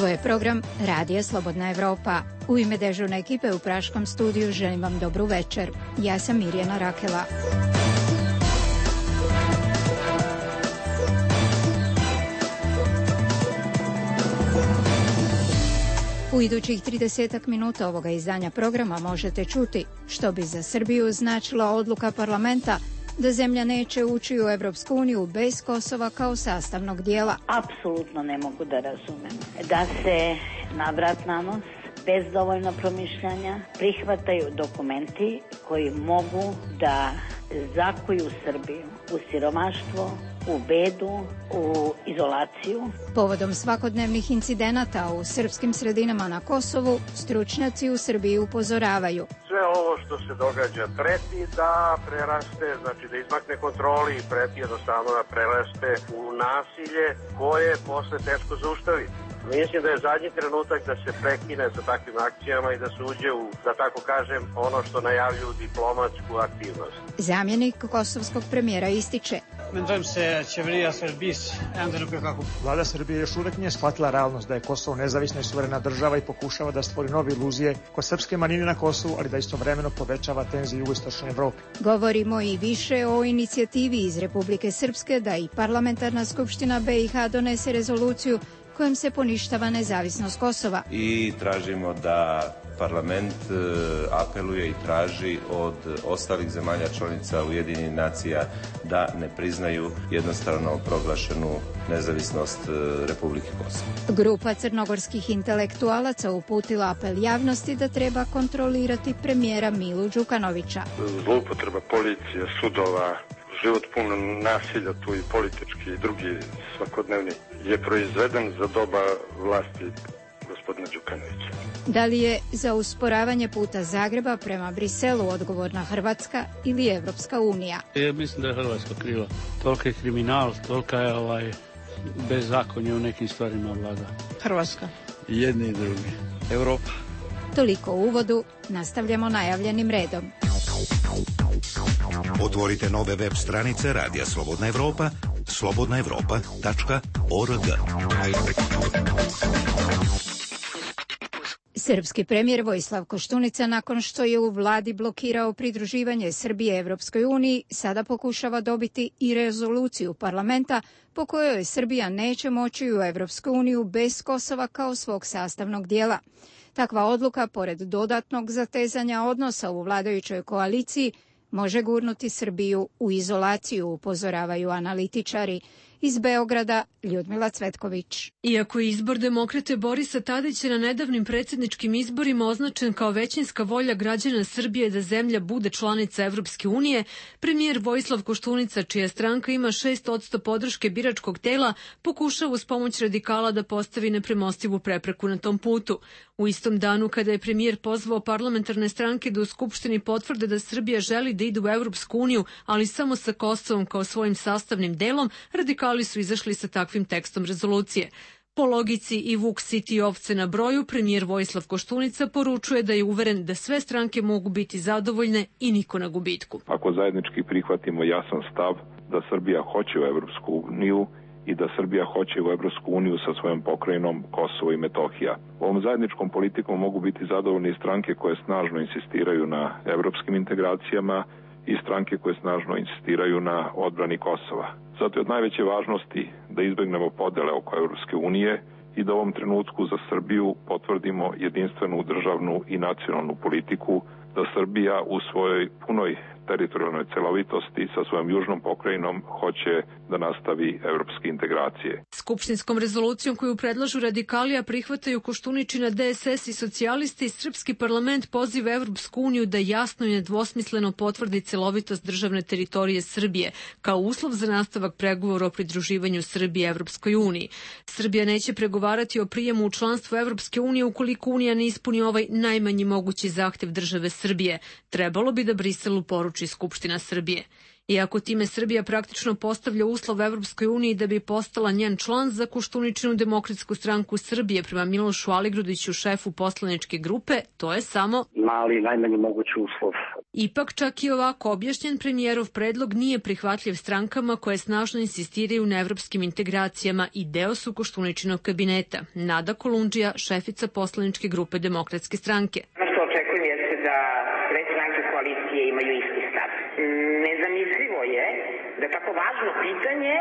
Ovo je program Radija Slobodna Evropa. U ime dežurne ekipe u Praškom studiju želim vam dobru večer. Ja sam Mirjana Rakela. U idućih 30 minuta ovoga izdanja programa možete čuti što bi za Srbiju značila odluka parlamenta da zemlja neće ući u Evropsku uniju bez Kosova kao sastavnog dijela. Apsolutno ne mogu da razumem da se na vrat na nos, bez dovoljno promišljanja, prihvataju dokumenti koji mogu da zakuju Srbiju u siromaštvo, u bedu, u izolaciju. Povodom svakodnevnih incidenata u srpskim sredinama na Kosovu, stručnjaci u Srbiji upozoravaju. Sve ovo što se događa preti da preraste, znači da izmakne kontroli i preti jednostavno da preraste u nasilje koje je posle teško zaustaviti. Mislim da je zadnji trenutak da se prekine sa takvim akcijama i da se uđe u, da tako kažem, ono što najavljuju diplomatsku aktivnost. Zamjenik kosovskog premijera ističe. Vlada Srbije još uvek nije shvatila realnost da je Kosovo nezavisna i suverena država i pokušava da stvori nove iluzije kod srpske manjine na Kosovu, ali da istovremeno povećava tenzije u jugoistočnoj Evropi. Govorimo i više o inicijativi iz Republike Srpske da i parlamentarna skupština BiH donese rezoluciju kojom se poništava nezavisnost Kosova. I tražimo da parlament apeluje i traži od ostalih zemalja članica Ujedinjenih nacija da ne priznaju jednostrano proglašenu nezavisnost Republike Kosovo. Grupa crnogorskih intelektualaca uputila apel javnosti da treba kontrolirati premijera Milu Đukanovića. Zloupotreba policije, sudova, život pun nasilja, tu i politički i drugi svakodnevni, je proizveden za doba vlasti gospodina Đukanovića. Da li je za usporavanje puta Zagreba prema Briselu odgovorna Hrvatska ili Evropska unija? Ja mislim da je Hrvatska kriva. Toliki je kriminal, tolika je bezakonje u nekim stvarima vlada. Hrvatska. Jedni i drugi. Evropa. Toliko u uvodu, nastavljamo najavljenim redom. Otvorite nove web stranice Radija Slobodna Evropa, slobodnaevropa.org. Srpski premijer Vojislav Koštunica, nakon što je u vladi blokirao pridruživanje Srbije Evropskoj uniji, sada pokušava dobiti i rezoluciju parlamenta po kojoj Srbija neće moći u Evropsku uniju bez Kosova kao svog sastavnog dijela. Takva odluka, pored dodatnog zatezanja odnosa u vladajućoj koaliciji, može gurnuti Srbiju u izolaciju, upozoravaju analitičari. Iz Beograda, Ljudmila Cvetković. Iako je izbor demokrate Borisa Tadića na nedavnim predsjedničkim izborima označen kao većinska volja građana Srbije da zemlja bude članica Evropske unije, premijer Vojislav Koštunica, čija stranka ima 6% podrške biračkog tela, pokušava uz pomoć radikala da postavi nepremostivu prepreku na tom putu. U istom danu kada je premijer pozvao parlamentarne stranke da u Skupštini potvrde da Srbija želi da ide u Evropsku uniju, ali samo sa Kosovom kao svojim sastavnim delom, radikali su izašli sa takvim tekstom rezolucije. Po logici i vuk siti ovce na broju, premijer Vojislav Koštunica poručuje da je uveren da sve stranke mogu biti zadovoljne i niko na gubitku. Ako zajednički prihvatimo jasan stav da Srbija hoće u Evropsku uniju i da Srbija hoće u Evropsku uniju sa svojom pokrajinom Kosovo i Metohija. Ovom zajedničkom politikom mogu biti zadovoljne stranke koje snažno insistiraju na evropskim integracijama i stranke koje snažno insistiraju na odbrani Kosova. Zato je od najveće važnosti da izbegnemo podele oko Evropske unije i da u ovom trenutku za Srbiju potvrdimo jedinstvenu državnu i nacionalnu politiku, da Srbija u svojoj punoj teritorijalnoj celovitosti sa svojom južnom pokrajinom hoće da nastavi evropske integracije. Skupštinskom rezolucijom koju predlažu radikali, a prihvataju Koštuničina DSS i socijalisti, srpski parlament poziva Evropsku uniju da jasno i nedvosmisleno potvrdi celovitost državne teritorije Srbije kao uslov za nastavak pregovora o pridruživanju Srbije Evropskoj uniji. Srbija neće pregovarati o prijemu u članstvo Evropske unije ukoliko Unija ne ispuni ovaj najmanji mogući zahtev države Srbije. Trebalo bi da Briselu poruči Skupština Srbije. Iako time Srbija praktično postavlja uslov Evropskoj uniji da bi postala njen član, za Koštuničinu Demokratsku stranku Srbije prema Milošu Aligrudiću, šefu poslaničke grupe, to je samo mali, najmanji mogući uslov. Ipak, čak i ovako objašnjen, premijerov predlog nije prihvatljiv strankama koje snažno insistiraju na evropskim integracijama i deo su Koštuničinog kabineta. Nada Kolundžija, šefica poslaničke grupe Demokratske stranke. Ono što očekujem jeste da sve stranke koalicije imaju isti stav. Nezamislivo je da tako važno pitanje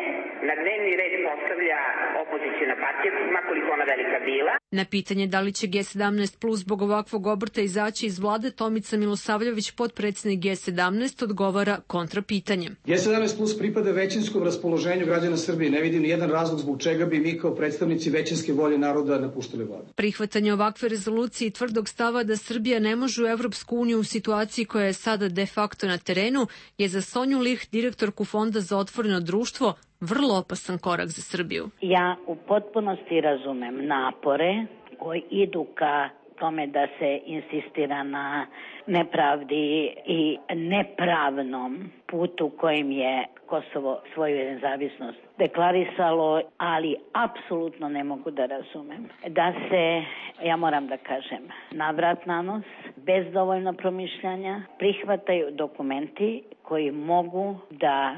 na dnevni red postavlja opozicijna partija, makoliko ona velika bila. Na pitanje da li će G17 plus zbog ovakvog obrta izaći iz vlade, Tomica Milosavljević, potpredsednik G17, odgovara kontrapitanjem. G17 plus pripada većinskom raspoloženju građana Srbije. Ne vidim nijedan razlog zbog čega bi mi kao predstavnici većinske volje naroda napuštali vladu. Prihvatanje ovakve rezolucije i tvrdog stava da Srbija ne može u Evropsku uniju u situaciji koja je sada de facto na terenu je za Sonju Licht, direktorku Fonda za otvoreno društvo, vrlo opasan korak za Srbiju. Ja u potpunosti razumem napore koji idu ka tome da se insistira na nepravdi i nepravnom putu kojim je Kosovo svoju nezavisnost deklarisalo, ali apsolutno ne mogu da razumem da se, ja moram da kažem, navrat na nos, bez dovoljno promišljanja, prihvataju dokumenti koji mogu da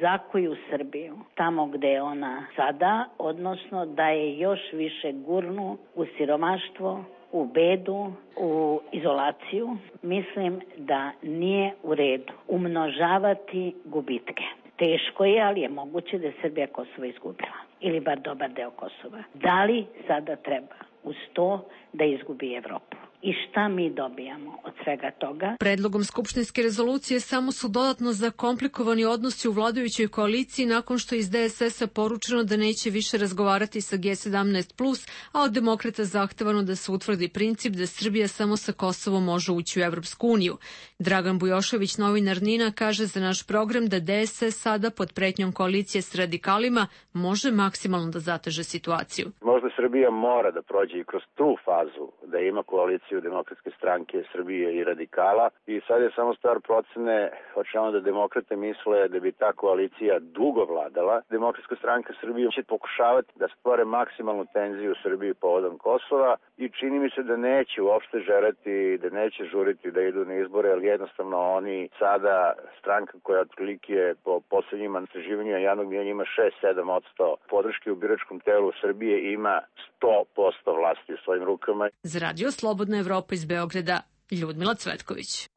zakuju Srbiju tamo gde je ona sada, odnosno da je još više gurnu u siromaštvo, u bedu, u izolaciju. Mislim da nije u redu umnožavati gubitke. Teško je, ali je moguće da je Srbija Kosovo izgubila. Ili bar dobar deo Kosova. Da li sada treba uz to da izgubi Evropu? I šta mi dobijamo od svega toga? Predlogom skupštinske rezolucije samo su dodatno zakomplikovani odnosi u vladajućoj koaliciji nakon što iz DSS-a poručeno da neće više razgovarati sa G17+, a od demokrata zahtevano da se utvrdi princip da Srbija samo sa Kosovom može ući u Evropsku uniju. Dragan Bujošević, novinar NIN-a, kaže za naš program da DSS sada pod pretnjom koalicije s radikalima može maksimalno da zateže situaciju. Možda Srbija mora da prođe i kroz tu fazu, da ima koaliciju Demokratske stranke Srbije i radikala i sad je samo stvar procene hoćemo da demokrate misle da bi ta koalicija dugo vladala. Demokratska stranka Srbije će pokušavati da stvore maksimalnu tenziju u Srbiji povodom Kosova i čini mi se da neće uopšte želeti, da neće žuriti da idu na izbore, ali jednostavno oni sada, stranka koja otprilike po poslednjim istraživanjima javnog mnijenja ima 6-7% podrške u biračkom telu Srbije, ima 100% vlasti u svojim rukama. Za Radio Slobodna Evropa iz Beograda, Ljudmila Cvetković.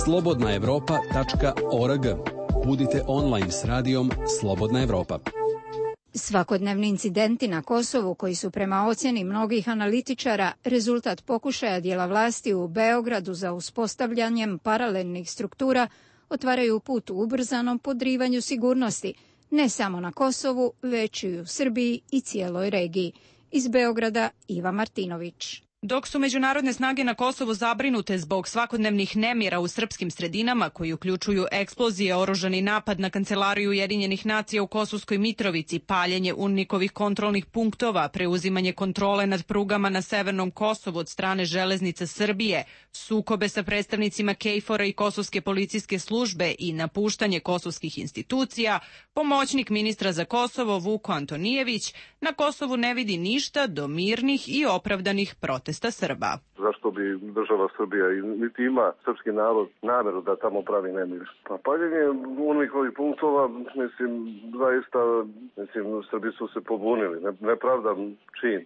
slobodnaevropa.org. Budite online s radijom Slobodna Evropa. Svakodnevni incidenti na Kosovu, koji su prema ocjeni mnogih analitičara rezultat pokušaja dijela vlasti u Beogradu za uspostavljanjem paralelnih struktura, otvaraju put u ubrzanom podrivanju sigurnosti, ne samo na Kosovu, već i u Srbiji i cijeloj regiji. Iz Beograda, Iva Martinović. Dok su međunarodne snage na Kosovu zabrinute zbog svakodnevnih nemira u srpskim sredinama koji uključuju eksplozije, oružani napad na Kancelariju Ujedinjenih nacija u Kosovskoj Mitrovici, paljenje UNMIK-ovih kontrolnih punktova, preuzimanje kontrole nad prugama na severnom Kosovu od strane Železnica Srbije, sukobe sa predstavnicima KFOR-a i Kosovske policijske službe i napuštanje kosovskih institucija, pomoćnik ministra za Kosovo Vuko Antonijević na Kosovu ne vidi ništa do mirnih i opravdanih protesta Srba. Zašto bi država Srbija niti ima srpski narod nameru da tamo pravi nemir? Pa paljenje UNMIK-ovih punktova, mislim, zaista, Srbi su se pobunili. Nepravdam čin.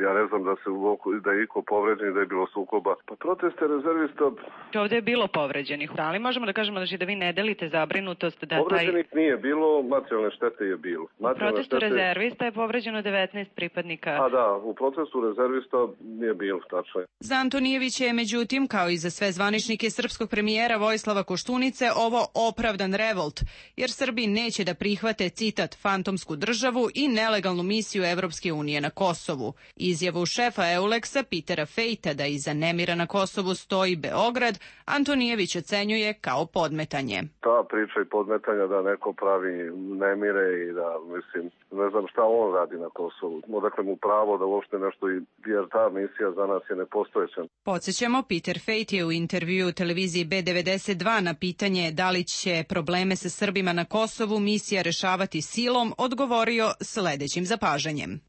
Ja ne znam da je iko povređen, da je bilo sukoba. Pa proteste rezervista... Ovde je bilo povređenih. Da li možemo da kažemo da vi ne delite zabrinutost da povređenih nije bilo, materijalne štete je bilo. U protestu rezervista je povređeno 19 pripadnika. A da, u protestu rezervista nije bilo, tačno je. Za Antonijevića je, međutim, kao i za sve zvaničnike srpskog premijera Vojislava Koštunice, ovo opravdan revolt, jer Srbi neće da prihvate, citat, fantomsku državu i nelegalnu misiju Evropske unije na Kosovu. Izjavu šefa Euleksa Petera Fejta da iza nemira na Kosovu stoji Beograd, Antonijević ocenjuje kao podmetanje. Ta priča i podmetanja da neko pravi nemire i da, ne znam šta on radi na Kosovu. Odakle mu pravo da uopšte nešto, jer ta misija za nas je nepostojeća. Podsjećamo, Peter Fejt je u intervjuu televiziji B92 na pitanje da li će probleme sa Srbima na Kosovu misija rešavati silom odgovorio sledećim zapažanjem.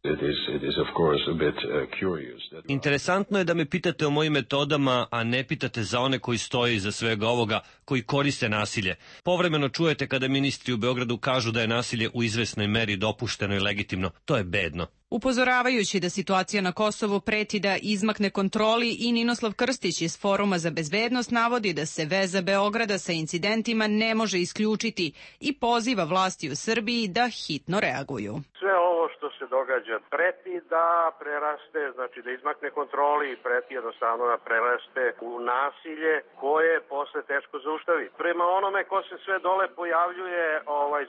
Interesantno je da me pitate o mojim metodama, a ne pitate za one koji stoje iza svega ovoga, koji koriste nasilje. Povremeno čujete kada ministri u Beogradu kažu da je nasilje u izvesnoj meri dopušteno i legitimno. To je bedno. Upozoravajući da situacija na Kosovu preti da izmakne kontroli, i Ninoslav Krstić iz Foruma za bezbednost navodi da se veza Beograda sa incidentima ne može isključiti i poziva vlasti u Srbiji da hitno reaguju. Sve ovo što se događa preti da preraste, znači da izmakne kontroli i preti jednostavno da preraste u nasilje koje je posle teško zaustaviti. Prema onome ko se sve dole pojavljuje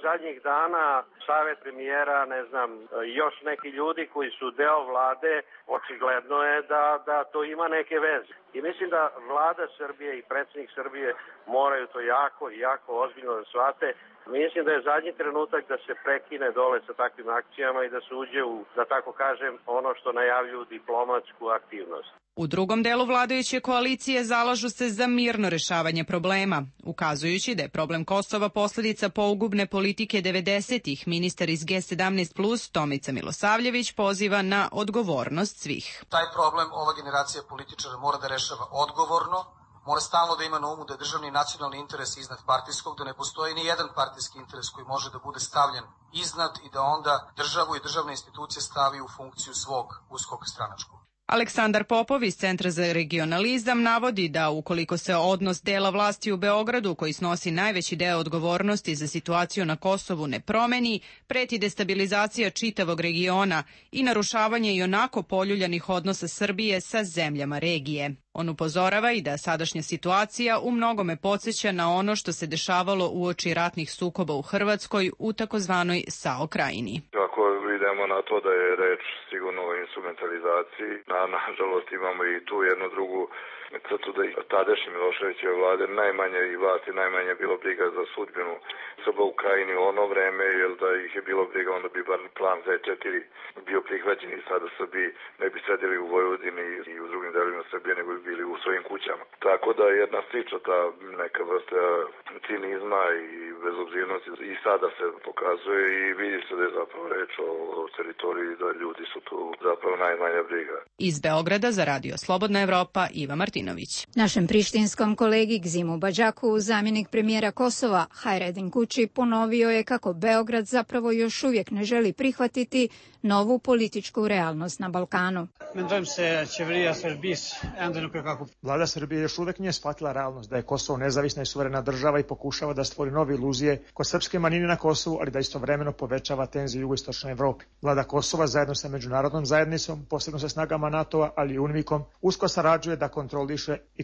zadnjih dana, savet premijera, ne znam, još neki ljudi koji su deo vlade, očigledno je da to ima neke veze. I mislim da vlada Srbije i predsjednik Srbije moraju to jako ozbiljno da shvate. Mislim da je zadnji trenutak da se prekine dole sa takvim akcijama i da se uđe u, da tako kažem, ono što najavljuju diplomatsku aktivnost. U drugom delu vladajuće koalicije zalažu se za mirno rešavanje problema, ukazujući da je problem Kosova posledica pogubne politike 90-ih. Ministar iz G17+, Tomica Milosavljević, poziva na odgovornost svih. Taj problem ova generacija političara mora da rešava odgovorno, mora stalno da ima na umu da je državni i nacionalni interes iznad partijskog, da ne postoji ni jedan partijski interes koji može da bude stavljen iznad i da onda državu i državne institucije stavi u funkciju svog uskog stranačkog. Aleksandar Popov iz Centra za regionalizam navodi da ukoliko se odnos dela vlasti u Beogradu, koji snosi najveći deo odgovornosti za situaciju na Kosovu, ne promeni, preti destabilizacija čitavog regiona i narušavanje i onako poljuljanih odnosa Srbije sa zemljama regije. On upozorava i da sadašnja situacija u mnogome podsjeća na ono što se dešavalo uoči ratnih sukoba u Hrvatskoj u takozvanoj SAO krajini. Ako idemo na to da je reč sigurno o instrumentalizaciji, nažalost imamo i tu jednu drugu crtu da i tadašnje Miloševićeve vlade najmanje i vlasti najmanje bilo briga za sudbinu Srba u krajini u ono vreme, jer da ih je bilo briga onda bi bar plan Z4 bio prihvaćen i sada Srbi ne bi sedeli u Vojvodini i u drugim delovima Srbije, nego bi bili u svojim kućama. Tako da jedna slična ta neka vrsta cinizma i bezobzirnosti i sada se pokazuje i vidi se da je zapravo reč o teritoriji, da ljudi su tu zapravo najmanja briga. Iz Beograda za Radio Slobodna Evropa, Iva Martinović. Našem prištinskom kolegi Gzimu Badžaku, zamjenik premijera Kosova Hajredin Kuči, ponovio je kako Beograd zapravo još uvijek ne želi prihvatiti novu političku realnost na Balkanu. Vlada Srbije još uvijek nije shvatila realnost da je Kosovo nezavisna i suverena država i pokušava da stvori nove iluzije kod srpske manjine na Kosovu, ali da istovremeno povećava tenzije u jugoistočnoj Evropi. Vlada Kosova zajedno sa međunarodnom zajednicom, posebno sa snagama NATO-a, ali i UNMIK-om, usko sarađuje da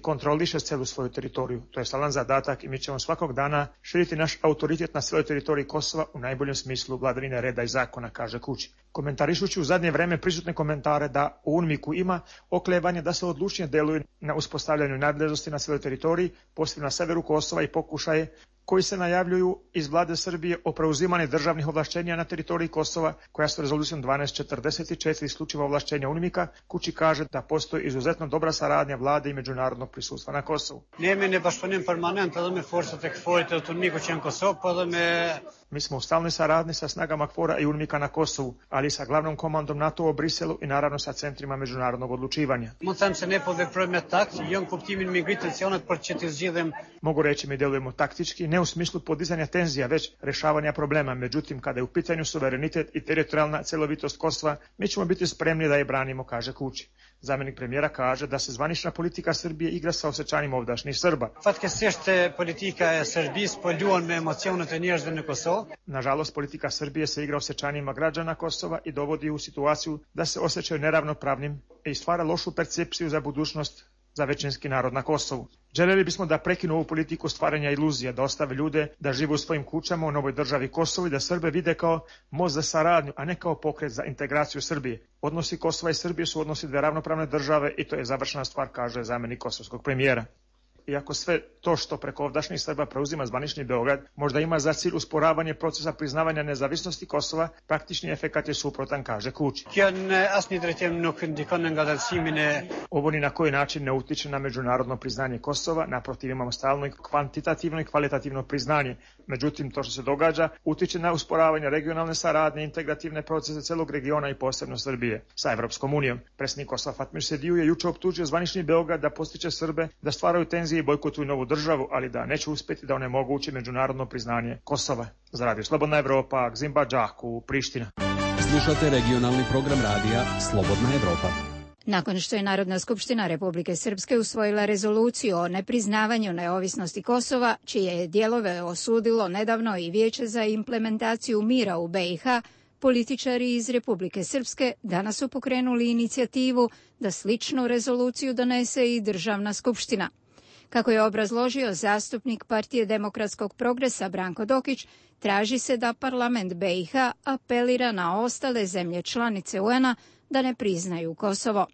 kontroliše celu svoju teritoriju. To je stalan zadatak i mi ćemo svakog dana širiti naš autoritet na cijeloj teritoriji Kosova u najboljem smislu vladavine reda i zakona, kaže Kuči. Komentarišući u zadnje vreme prisutne komentare da u UNMIK-u ima oklevanje da se odlučnije deluju na uspostavljanju nadležnosti na cijeloj teritoriji, posebno na severu Kosova, i pokušaje koji se najavljuju iz vlade Srbije o preuzimanju državnih ovlašćenja na teritoriji Kosova, koja su rezolucijom 1244 isključiva ovlašćenja UNMIK-a. Kuči kaže da postoji izuzetno dobra saradnja vlade i međunarodnog prisustva na Kosovu. Mi smo u stalnoj saradnji sa snagama KFOR-a i UNMIK-a na Kosovu, ali i sa glavnom komandom NATO-a u Briselu i naravno sa centrima međunarodnog odlučivanja. Mogu reći, mi delujemo taktički, ne u smislu podizanja tenzija, već rešavanja problema. Međutim, kada je u pitanju suverenitet i teritorijalna celovitost Kosova, mi ćemo biti spremni da je branimo, kaže Kuči. Zamjenik premijera kaže da se zvanična politika Srbije igra sa osjećanjima ovdašnjih Srba. Nažalost, politika Srbije se igra osjećanjima građana Kosova i dovodi u situaciju da se osjećaju neravnopravnim i stvara lošu percepciju za budućnost za većinski narod na Kosovu. Željeli bismo da prekinu ovu politiku stvaranja iluzija, da ostave ljude da žive u svojim kućama u novoj državi Kosovo i da Srbe vide kao most za saradnju, a ne kao pokret za integraciju Srbije. Odnosi Kosova i Srbije su odnosi dve ravnopravne države i to je završena stvar, kaže zamjenik kosovskog premijera. iako sve to što preko ovdašnjih Srba preuzima zvanični Beograd možda ima za cilj usporavanje procesa priznavanja nezavisnosti Kosova, praktični efekat je suprotan, kaže Kučić. Ovo ni na koji način ne utiče na međunarodno priznanje Kosova, naprotiv imamo stalno i kvantitativno i kvalitativno priznanje. Međutim, to što se događa utiče na usporavanje regionalne saradnje, integrativne procese celog regiona i posebno Srbije sa Evropskom unijom. Predsjednik Kosova Fatmir Sediju je juče optužio zvanični Beograd da postiče Srbe da stvaraju tenzije i bojkotuju novu državu, ali da neće uspjeti da onemoguće međunarodno priznanje Kosova. Za Radio Slobodna Evropa, Gzimba Džaku, Priština. Slušate regionalni program radija Slobodna Evropa. Nakon što je Narodna skupština Republike Srpske usvojila rezoluciju o nepriznavanju neovisnosti Kosova, čije je dijelove osudilo nedavno i Vijeće za implementaciju mira u BiH, političari iz Republike Srpske danas su pokrenuli inicijativu da sličnu rezoluciju donese i Državna skupština. Kako je obrazložio zastupnik Partije demokratskog progresa Branko Dokić, traži se da parlament BiH apelira na ostale zemlje članice UN-a da ne priznaju Kosovo.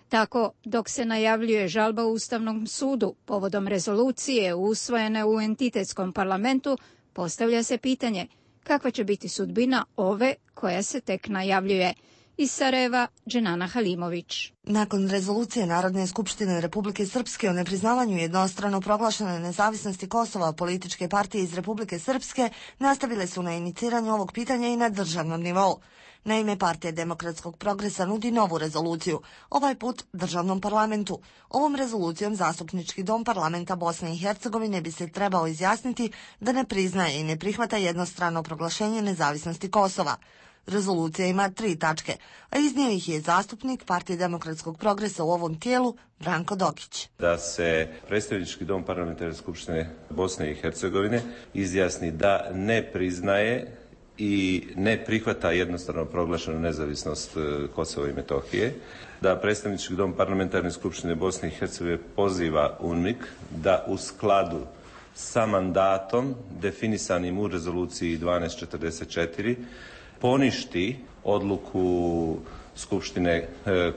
Tako, dok se najavljuje žalba Ustavnom sudu povodom rezolucije usvojene u entitetskom parlamentu, postavlja se pitanje kakva će biti sudbina ove koja se tek najavljuje. Iz Sarajeva, Dženana Halimović. Nakon rezolucije Narodne skupštine Republike Srpske o nepriznavanju jednostrano proglašene nezavisnosti Kosova, političke partije iz Republike Srpske nastavile su na iniciranju ovog pitanja i na državnom nivou. Naime, Partija demokratskog progresa nudi novu rezoluciju, ovaj put državnom parlamentu. Ovom rezolucijom Zastupnički dom parlamenta Bosne i Hercegovine bi se trebao izjasniti da ne priznaje i ne prihvata jednostrano proglašenje nezavisnosti Kosova. Rezolucija ima 3 tačke, a iznio ih je zastupnik Partije demokratskog progresa u ovom tijelu Branko Dokić. Da se Predstavnički dom parlamentarne skupštine Bosne i Hercegovine izjasni da ne priznaje i ne prihvata jednostrano proglašenu nezavisnost Kosova i Metohije, da Predstavnički dom parlamentarne skupštine Bosne i Hercegovine poziva UNMIK da u skladu sa mandatom definisanim u rezoluciji 1244 poništi odluku Skupštine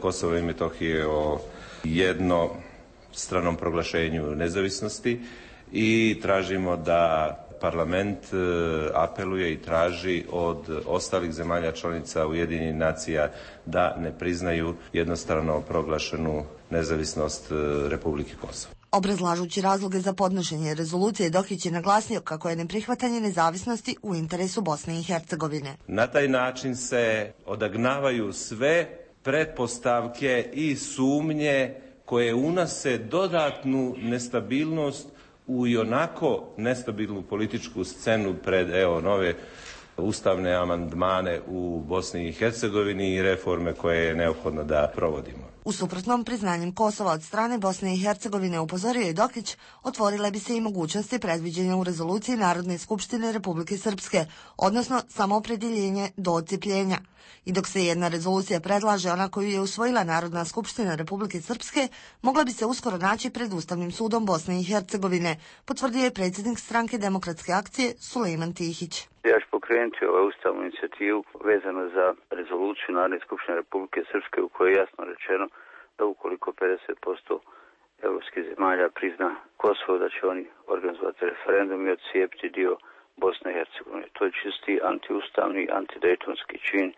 Kosova i Metohije o jednostranom proglašenju nezavisnosti i tražimo da parlament apeluje i traži od ostalih zemalja članica Ujedinjenih nacija da ne priznaju jednostrano proglašenu nezavisnost Republike Kosovo. Obrazlažući razloge za podnošenje rezolucije, Dokić je naglasio kako je neprihvatanje nezavisnosti u interesu Bosne i Hercegovine. Na taj način se odagnavaju sve pretpostavke i sumnje koje unose dodatnu nestabilnost u ionako nestabilnu političku scenu pred nove ustavne amandmane u Bosni i Hercegovini i reforme koje je neophodno da provodimo. U suprotnom, priznanjem Kosova od strane Bosne i Hercegovine, upozorio je Dokić, otvorile bi se i mogućnosti predviđene u rezoluciji Narodne skupštine Republike Srpske, odnosno samoopredjeljenje do odcijepljenja. I dok se jedna rezolucija predlaže, ona koju je usvojila Narodna skupština Republike Srpske, mogla bi se uskoro naći pred Ustavnim sudom Bosne i Hercegovine, potvrdio je predsjednik stranke Demokratske akcije Sulejman Tihić. Ja ću pokrenuti ovu ustavnu inicijativu vezano za rezoluciju Narodne skupštine Republike Srpske u kojoj je jasno rečeno da ukoliko 50% evropskih zemalja prizna Kosovo, da će oni organizovati referendum i odcijepiti dio Bosne i Hercegovine. To je čisti antiustavni, antidejtonski čin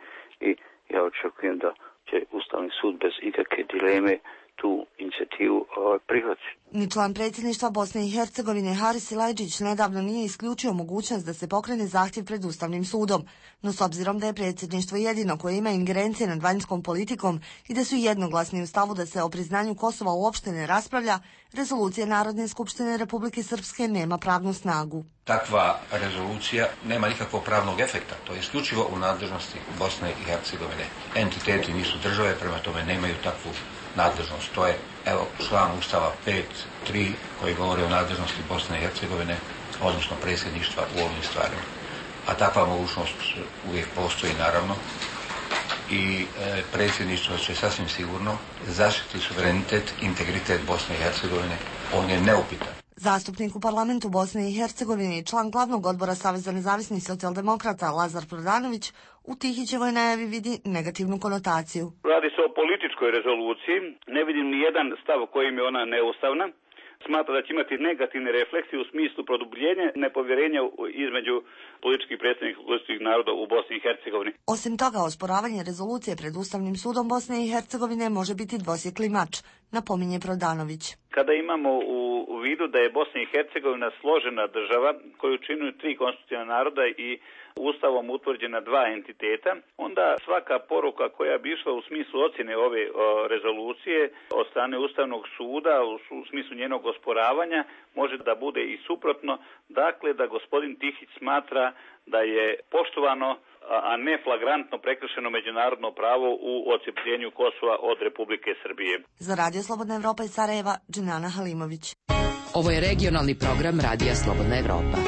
i ja očekujem da će Ustavni sud bez ikakve dileme tu inicijativu prihvatiti. Ni član predsjedništva Bosne i Hercegovine Haris Silajdžić nedavno nije isključio mogućnost da se pokrene zahtjev pred Ustavnim sudom, no s obzirom da je predsjedništvo jedino koje ima ingerencije nad vanjskom politikom i da su jednoglasni u stavu da se o priznanju Kosova uopšte ne raspravlja, rezolucija Narodne skupštine Republike Srpske nema pravnu snagu. Takva rezolucija nema nikakvog pravnog efekta, to je isključivo u nadležnosti Bosne i Hercegovine. Entiteti nisu države, prema tome nemaju takvu nadležnost. To je, član Ustava 5.3 koji govori o nadležnosti Bosne i Hercegovine, odnosno predsjedništva u ovim stvarima. A takva mogućnost uvijek postoji, naravno, i predsjedništvo će sasvim sigurno zaštiti suverenitet, integritet Bosne i Hercegovine. On je neupitan. Zastupnik u parlamentu Bosne i Hercegovine i član glavnog odbora Saveza nezavisnih socijaldemokrata Lazar Prodanović u Tihićevoj najavi vidi negativnu konotaciju. Radi se o političkoj rezoluciji. Ne vidim ni jedan stav kojim je ona neustavna. smatra da će imati negativne refleksije u smislu produbljenja nepovjerenja između političkih predstavnika konstitutivnih naroda u Bosni i Hercegovini. Osim toga, osporavanje rezolucije pred Ustavnim sudom Bosne i Hercegovine može biti dvosjekli mač, napominje Prodanović. Kada imamo u vidu da je Bosna i Hercegovina složena država koju čine 3 konstitutivna naroda i Ustavom utvrđena 2 entiteta, onda svaka poruka koja bi išla u smislu ocjene ove rezolucije od strane Ustavnog suda u smislu njenog osporavanja može da bude i suprotno, dakle da gospodin Tihić smatra da je poštovano, a ne flagrantno prekršeno međunarodno pravo u odcepljenju Kosova od Republike Srbije. Za Radio Slobodna Evropa iz Sarajeva, Dženana Halimović. Ovo je regionalni program Radija Slobodna Evropa.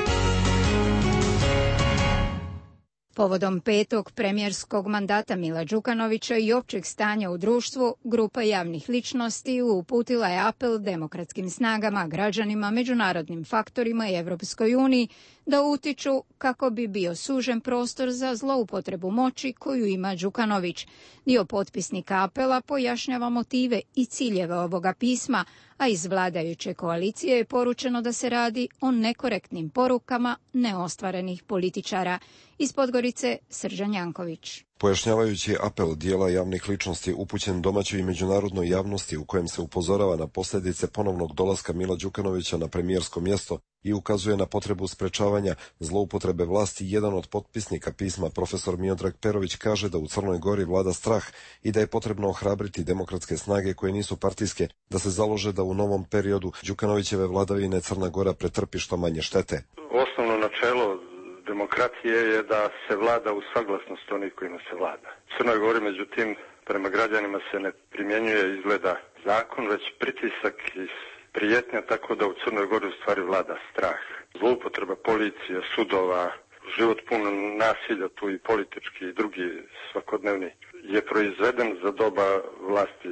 Povodom 5. premijerskog mandata Mila Đukanovića i općeg stanja u društvu, grupa javnih ličnosti uputila je apel demokratskim snagama, građanima, međunarodnim faktorima i Evropskoj uniji da utiču kako bi bio sužen prostor za zloupotrebu moći koju ima Đukanović. Dio potpisnika apela pojašnjava motive i ciljeve ovoga pisma, a iz vladajuće koalicije je poručeno da se radi o nekorektnim porukama neostvarenih političara. Iz Podgorice, Srđan Janković. Pojašnjavajući apel dijela javnih ličnosti upućen domaćoj i međunarodnoj javnosti u kojem se upozorava na posljedice ponovnog dolaska Mila Đukanovića na premijersko mjesto i ukazuje na potrebu sprečavanja zloupotrebe vlasti, jedan od potpisnika pisma, profesor Miodrag Perović, kaže da u Crnoj Gori vlada strah i da je potrebno ohrabriti demokratske snage koje nisu partijske, da se založe da u novom periodu Đukanovićeve vladavine Crna Gora pretrpi što manje štete. Osnovno načelo demokratije je da se vlada u saglasnosti onih kojima se vlada. U Crnoj Gori, međutim, prema građanima se ne primjenjuje izgleda zakon, već pritisak i prijetnja, tako da u Crnoj Gori u stvari vlada strah. Zloupotreba policije, sudova, život pun nasilja, tu i politički i drugi svakodnevni, je proizveden za doba vlasti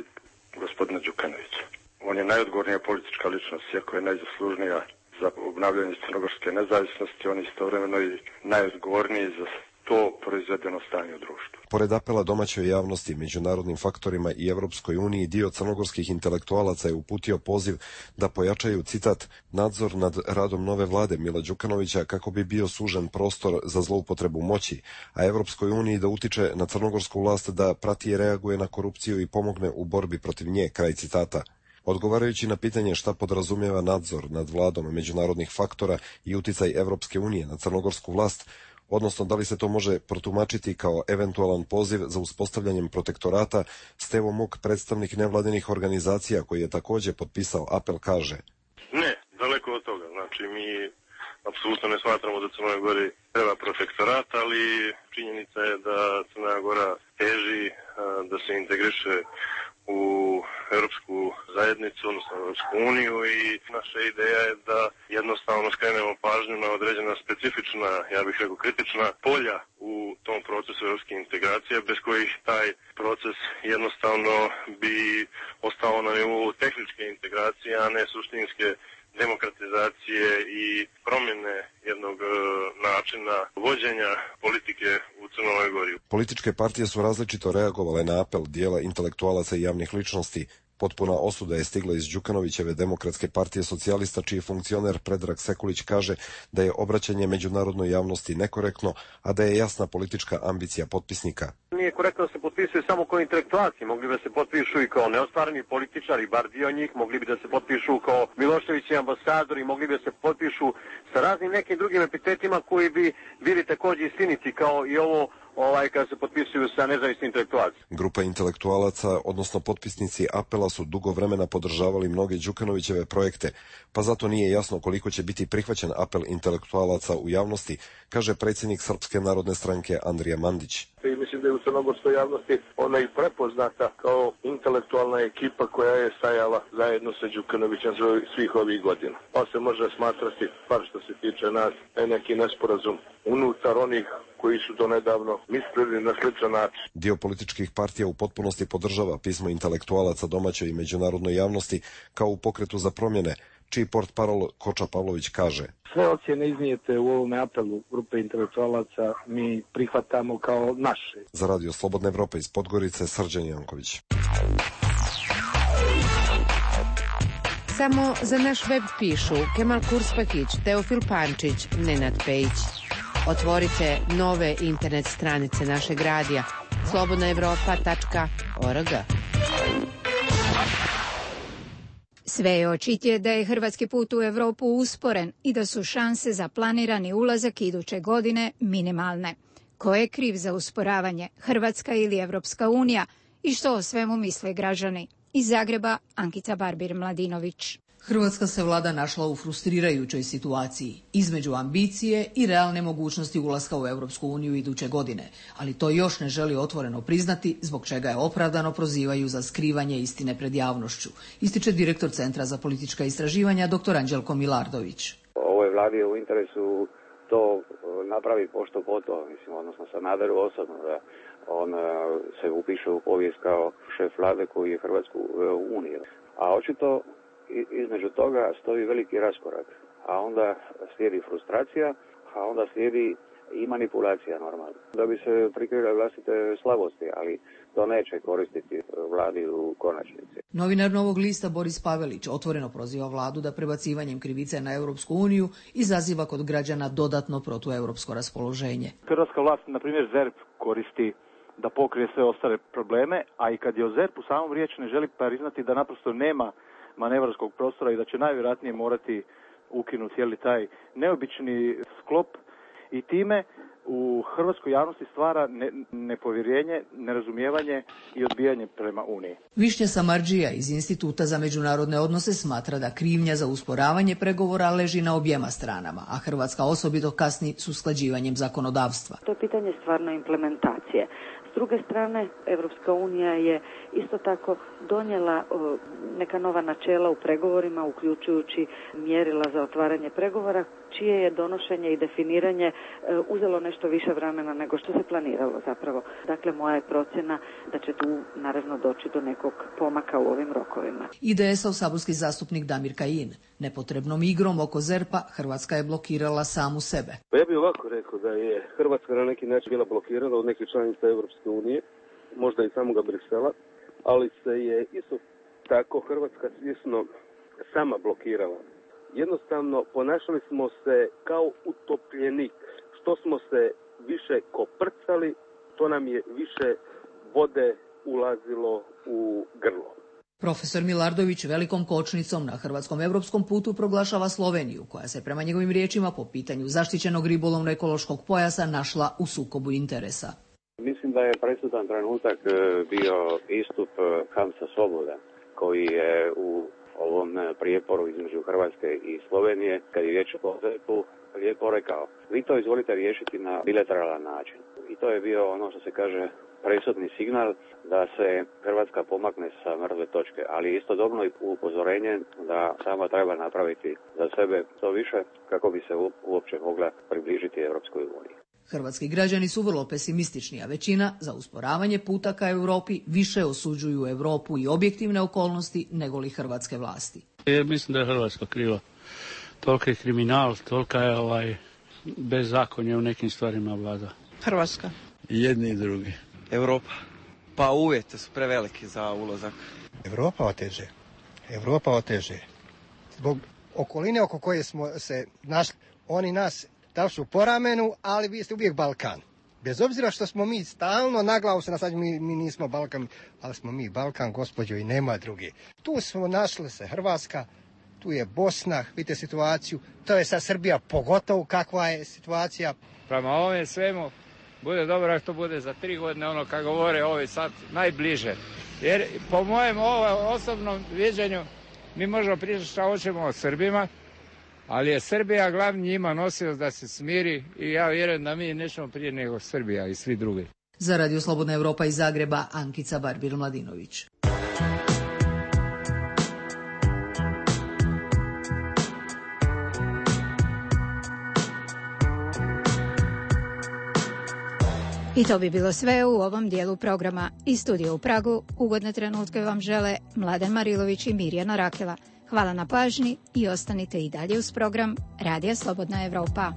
gospodina Đukanovića. On je najodgovornija politička ličnost, iako je najzaslužnija za obnavljanje crnogorske nezavisnosti, on je istovremeno i najodgovorniji za to proizvedeno stanje u društvu. Pored apela domaćoj javnosti, međunarodnim faktorima i Evropskoj uniji, dio crnogorskih intelektualaca je uputio poziv da pojačaju, citat, nadzor nad radom nove vlade Mila Đukanovića kako bi bio sužen prostor za zloupotrebu moći, a Evropskoj uniji da utiče na crnogorsku vlast da prati i reaguje na korupciju i pomogne u borbi protiv nje, kraj citata. Odgovarajući na pitanje šta podrazumijeva nadzor nad vladom međunarodnih faktora i uticaj Evropske unije na crnogorsku vlast, odnosno da li se to može protumačiti kao eventualan poziv za uspostavljanjem protektorata, Stevo Muk, predstavnik nevladinih organizacija koji je također potpisao apel, kaže: Ne, daleko od toga. Znači, mi apsolutno ne smatramo da Crnoj Gori treba protektorat, ali činjenica je da Crna Gora teži da se integriše u Europsku zajednicu, odnosno Europsku uniju, i naša ideja je da jednostavno skrenemo pažnju na određena specifična, ja bih rekao kritična polja u tom procesu europske integracije, bez kojih taj proces jednostavno bi ostao na nivou tehničke integracije, a ne suštinske demokratizacije i promjene jednog načina vođenja politike u Crnoj Gori. Političke partije su različito reagovale na apel dijela intelektualaca i javnih ličnosti. Potpuna osuda je stigla iz Đukanovićeve Demokratske partije socijalista, čiji funkcioner Predrag Sekulić kaže da je obraćanje međunarodnoj javnosti nekorektno, a da je jasna politička ambicija potpisnika. Nije korektno da se potpisuju samo kao intelektualci, mogli bi da se potpišu i kao neostvareni političari, bar dio njih, mogli bi da se potpišu kao Miloševići ambasadori, mogli bi da se potpišu sa raznim nekim drugim epitetima koji bi bili također istiniti kao i ovo kada se potpisuju sa nezavisnim intelektualcima. Grupa intelektualaca, odnosno potpisnici apela, su dugo vremena podržavali mnoge Đukanovićeve projekte, pa zato nije jasno koliko će biti prihvaćen apel intelektualaca u javnosti, kaže predsjednik Srpske narodne stranke Andrija Mandić. I mislim da je u crnogorskoj javnosti ona i prepoznata kao intelektualna ekipa koja je stajala zajedno sa Đukanovićem svih ovih godina. Pa se može smatrati, bar što se tiče nas, neki nesporazum unutar onih koji su do nedavno mislili na sličan način. Dio političkih partija u potpunosti podržava pismo intelektualaca domaćoj i međunarodnoj javnosti kao u pokretu za promjene, čiji portparol Koča Pavlović kaže: sve ocjene iznijete u ovom apelu grupe intelektualaca mi prihvatamo kao naše. Za Radio Slobodna Evropa iz Podgorice, Srđan Janković. Samo za naš web pišu Kemal Kurspakić, Teofil Pančić, Nenad Pejić. Otvorite nove internet stranice našeg radija slobodnaevropa.org. Sve je očitije da je hrvatski put u Europu usporen i da su šanse za planirani ulazak iduće godine minimalne. Ko je kriv za usporavanje, Hrvatska ili Evropska unija, i što o svemu misle građani? Iz Zagreba, Ankica Barbir-Mladinović. Hrvatska se vlada našla u frustrirajućoj situaciji između ambicije i realne mogućnosti ulaska u Europsku uniju iduće godine, ali to još ne želi otvoreno priznati, zbog čega je opravdano prozivaju za skrivanje istine pred javnošću, ističe direktor Centra za politička istraživanja dr. Anđelko Milardović. Ovoj vladi je u interesu to napravi pošto poto, odnosno Sanaderu osobno, da on se upiše u povijest kao šef vlade koji je Hrvatsku u Uniju. A očito između toga stoji veliki raskorak, a onda slijedi frustracija, a onda slijedi i manipulacija normalno. Da bi se prikrile vlastite slabosti, ali to neće koristiti vladi u konačnici. Novinar Novog lista Boris Pavelić otvoreno proziva vladu da prebacivanjem krivice na Europsku uniju izaziva kod građana dodatno protueuropsko raspoloženje. Hrvatska vlast, na primjer ZERP, koristi da pokrije sve ostale probleme, a i kad je o ZERP-u samom riječ ne želi priznati da naprosto nema manevarskog prostora i da će najvjerojatnije morati ukinuti cijeli taj neobični sklop i time u hrvatskoj javnosti stvara nepovjerenje, nerazumijevanje i odbijanje prema Uniji. Višnja Samardžija iz Instituta za međunarodne odnose smatra da krivnja za usporavanje pregovora leži na objema stranama, a Hrvatska osobito kasni s usklađivanjem zakonodavstva. To je pitanje stvarno implementacije. S druge strane, Evropska unija je isto tako donijela neka nova načela u pregovorima, uključujući mjerila za otvaranje pregovora, čije je donošenje i definiranje uzelo nešto više vremena nego što se planiralo zapravo. Dakle, moja je procjena da će tu naravno doći do nekog pomaka u ovim rokovima. IDS-ov saborski zastupnik Damir Kajin. Nepotrebnom igrom oko ZERP-a Hrvatska je blokirala samu sebe. Ja bih ovako rekao da je Hrvatska na neki način bila blokirana od nekih članica Europske unije, možda i samoga Brisela, ali se je isto tako Hrvatska svjesno sama blokirala. Jednostavno ponašali smo se kao utopljenik. Što smo se više koprcali, to nam je više vode ulazilo u grlo. Profesor Milardović velikom kočnicom na hrvatskom europskom putu proglašava Sloveniju, koja se prema njegovim riječima po pitanju zaštićenog ribolovno-ekološkog pojasa našla u sukobu interesa. Mislim da je presudan trenutak bio istup Hamza Svoboda, koji je u ovom prijeporu između Hrvatske i Slovenije, kad je riječ o ZERP-u, lijepo rekao, vi to izvolite riješiti na bilateralan način. I to je bio ono što se kaže presudni signal da se Hrvatska pomakne sa mrtve točke, ali istodobno i upozorenje da sama treba napraviti za sebe to više kako bi se uopće mogla približiti Europskoj uniji. Hrvatski građani su vrlo pesimistični, a većina za usporavanje puta ka Europi više osuđuju Europu i objektivne okolnosti nego li hrvatske vlasti. Mislim da je Hrvatska kriva. Toliki je kriminal, tolika je bezzakonje u nekim stvarima vlada. Hrvatska. Jedni i drugi. Europa. Pa uvjeti su preveliki za ulazak. Europa oteže. Zbog okoline oko koje smo se našli, oni nas dali su po ramenu, ali vi ste uvijek Balkan. Bez obzira što smo mi stalno na glavu se nasađeni, mi nismo Balkan, ali smo mi Balkan, gospođo, i nema druge. Tu smo našli se Hrvatska, tu je Bosna, vidite situaciju, to je sad Srbija, pogotovo kakva je situacija. Prema ovome svemu, bude dobro što bude za 3 godine, ono kako govore ovi sad najbliže. Jer po mojem osobnom viđenju mi možemo pričati šta hoćemo o Srbima, ali je Srbija glavni njima nosio da se smiri i ja vjerujem da mi nećemo prije nego Srbija i svi drugi. Za Radio Slobodna Evropa iz Zagreba, Ankica Barbir-Mladinović. I to bi bilo sve u ovom dijelu programa. Iz studija u Pragu ugodne trenutke vam žele Mladen Marilović i Mirjana Rakela. Hvala na pažnji i ostanite i dalje uz program Radija Slobodna Evropa.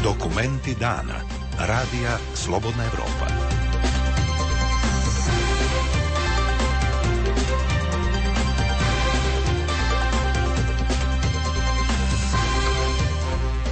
Dokumenti dana. Radija Slobodna Evropa.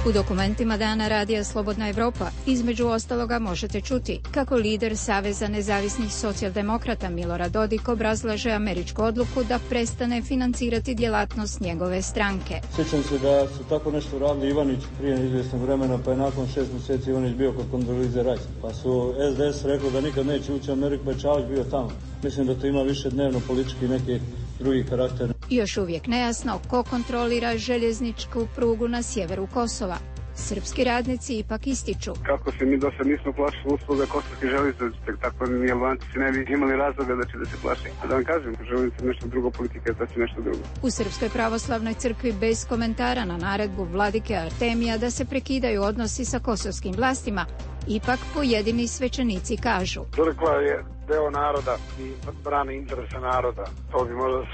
U dokumentima dana Radija Slobodna Evropa između ostaloga možete čuti kako lider Saveza nezavisnih socijaldemokrata Milorad Dodik obrazlaže američku odluku da prestane financirati djelatnost njegove stranke. Sjećam se da su tako nešto radili Ivanić prije izvjesnog vremena, pa je nakon 6 mjeseci Ivanić bio kod Kondolize Rice. Pa su SDS rekli da nikad neće ući u Ameriku, pa je Čavić bio tamo. Mislim da to ima više dnevno politički neki drugi karakter. Još uvijek nejasno ko kontrolira željezničku prugu na sjeveru Kosova. Srpski radnici ipak ističu. Kako se mi do sad nismo plašili usluga kosovskih željeznica, tako ni Albanci ne bi imali razloga da će da se plaši. A da vam kažem, željeznica nešto drugo, politika je to nešto drugo. U Srpskoj pravoslavnoj crkvi bez komentara na naredbu vladike Artemija da se prekidaju odnosi sa kosovskim vlastima, ipak pojedini svećenici kažu. Crkva je deo naroda i brani interese naroda. To bi možda u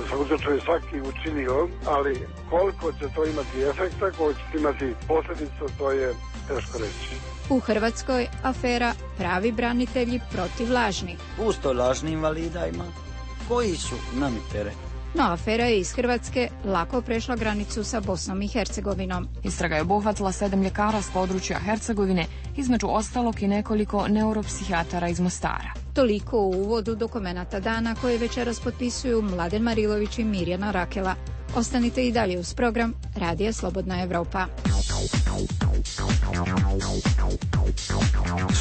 svakom slučaju svaki učinio, ali koliko će to imati efekta, koliko će imati posljedica, to je teško reći. U Hrvatskoj afera pravi branitelji protiv lažnih. Pusto lažnim invalida ima. Koji su nami teret? No, afera je iz Hrvatske lako prešla granicu sa Bosnom i Hercegovinom. Istraga je obuhvatila 7 ljekara s područja Hercegovine, između ostalog i nekoliko neuropsihijatara iz Mostara. Toliko u uvodu dokumenata dana koje večeras potpisuju Mladen Marilović i Mirjana Rakela. Ostanite i dalje uz program Radija Slobodna Evropa.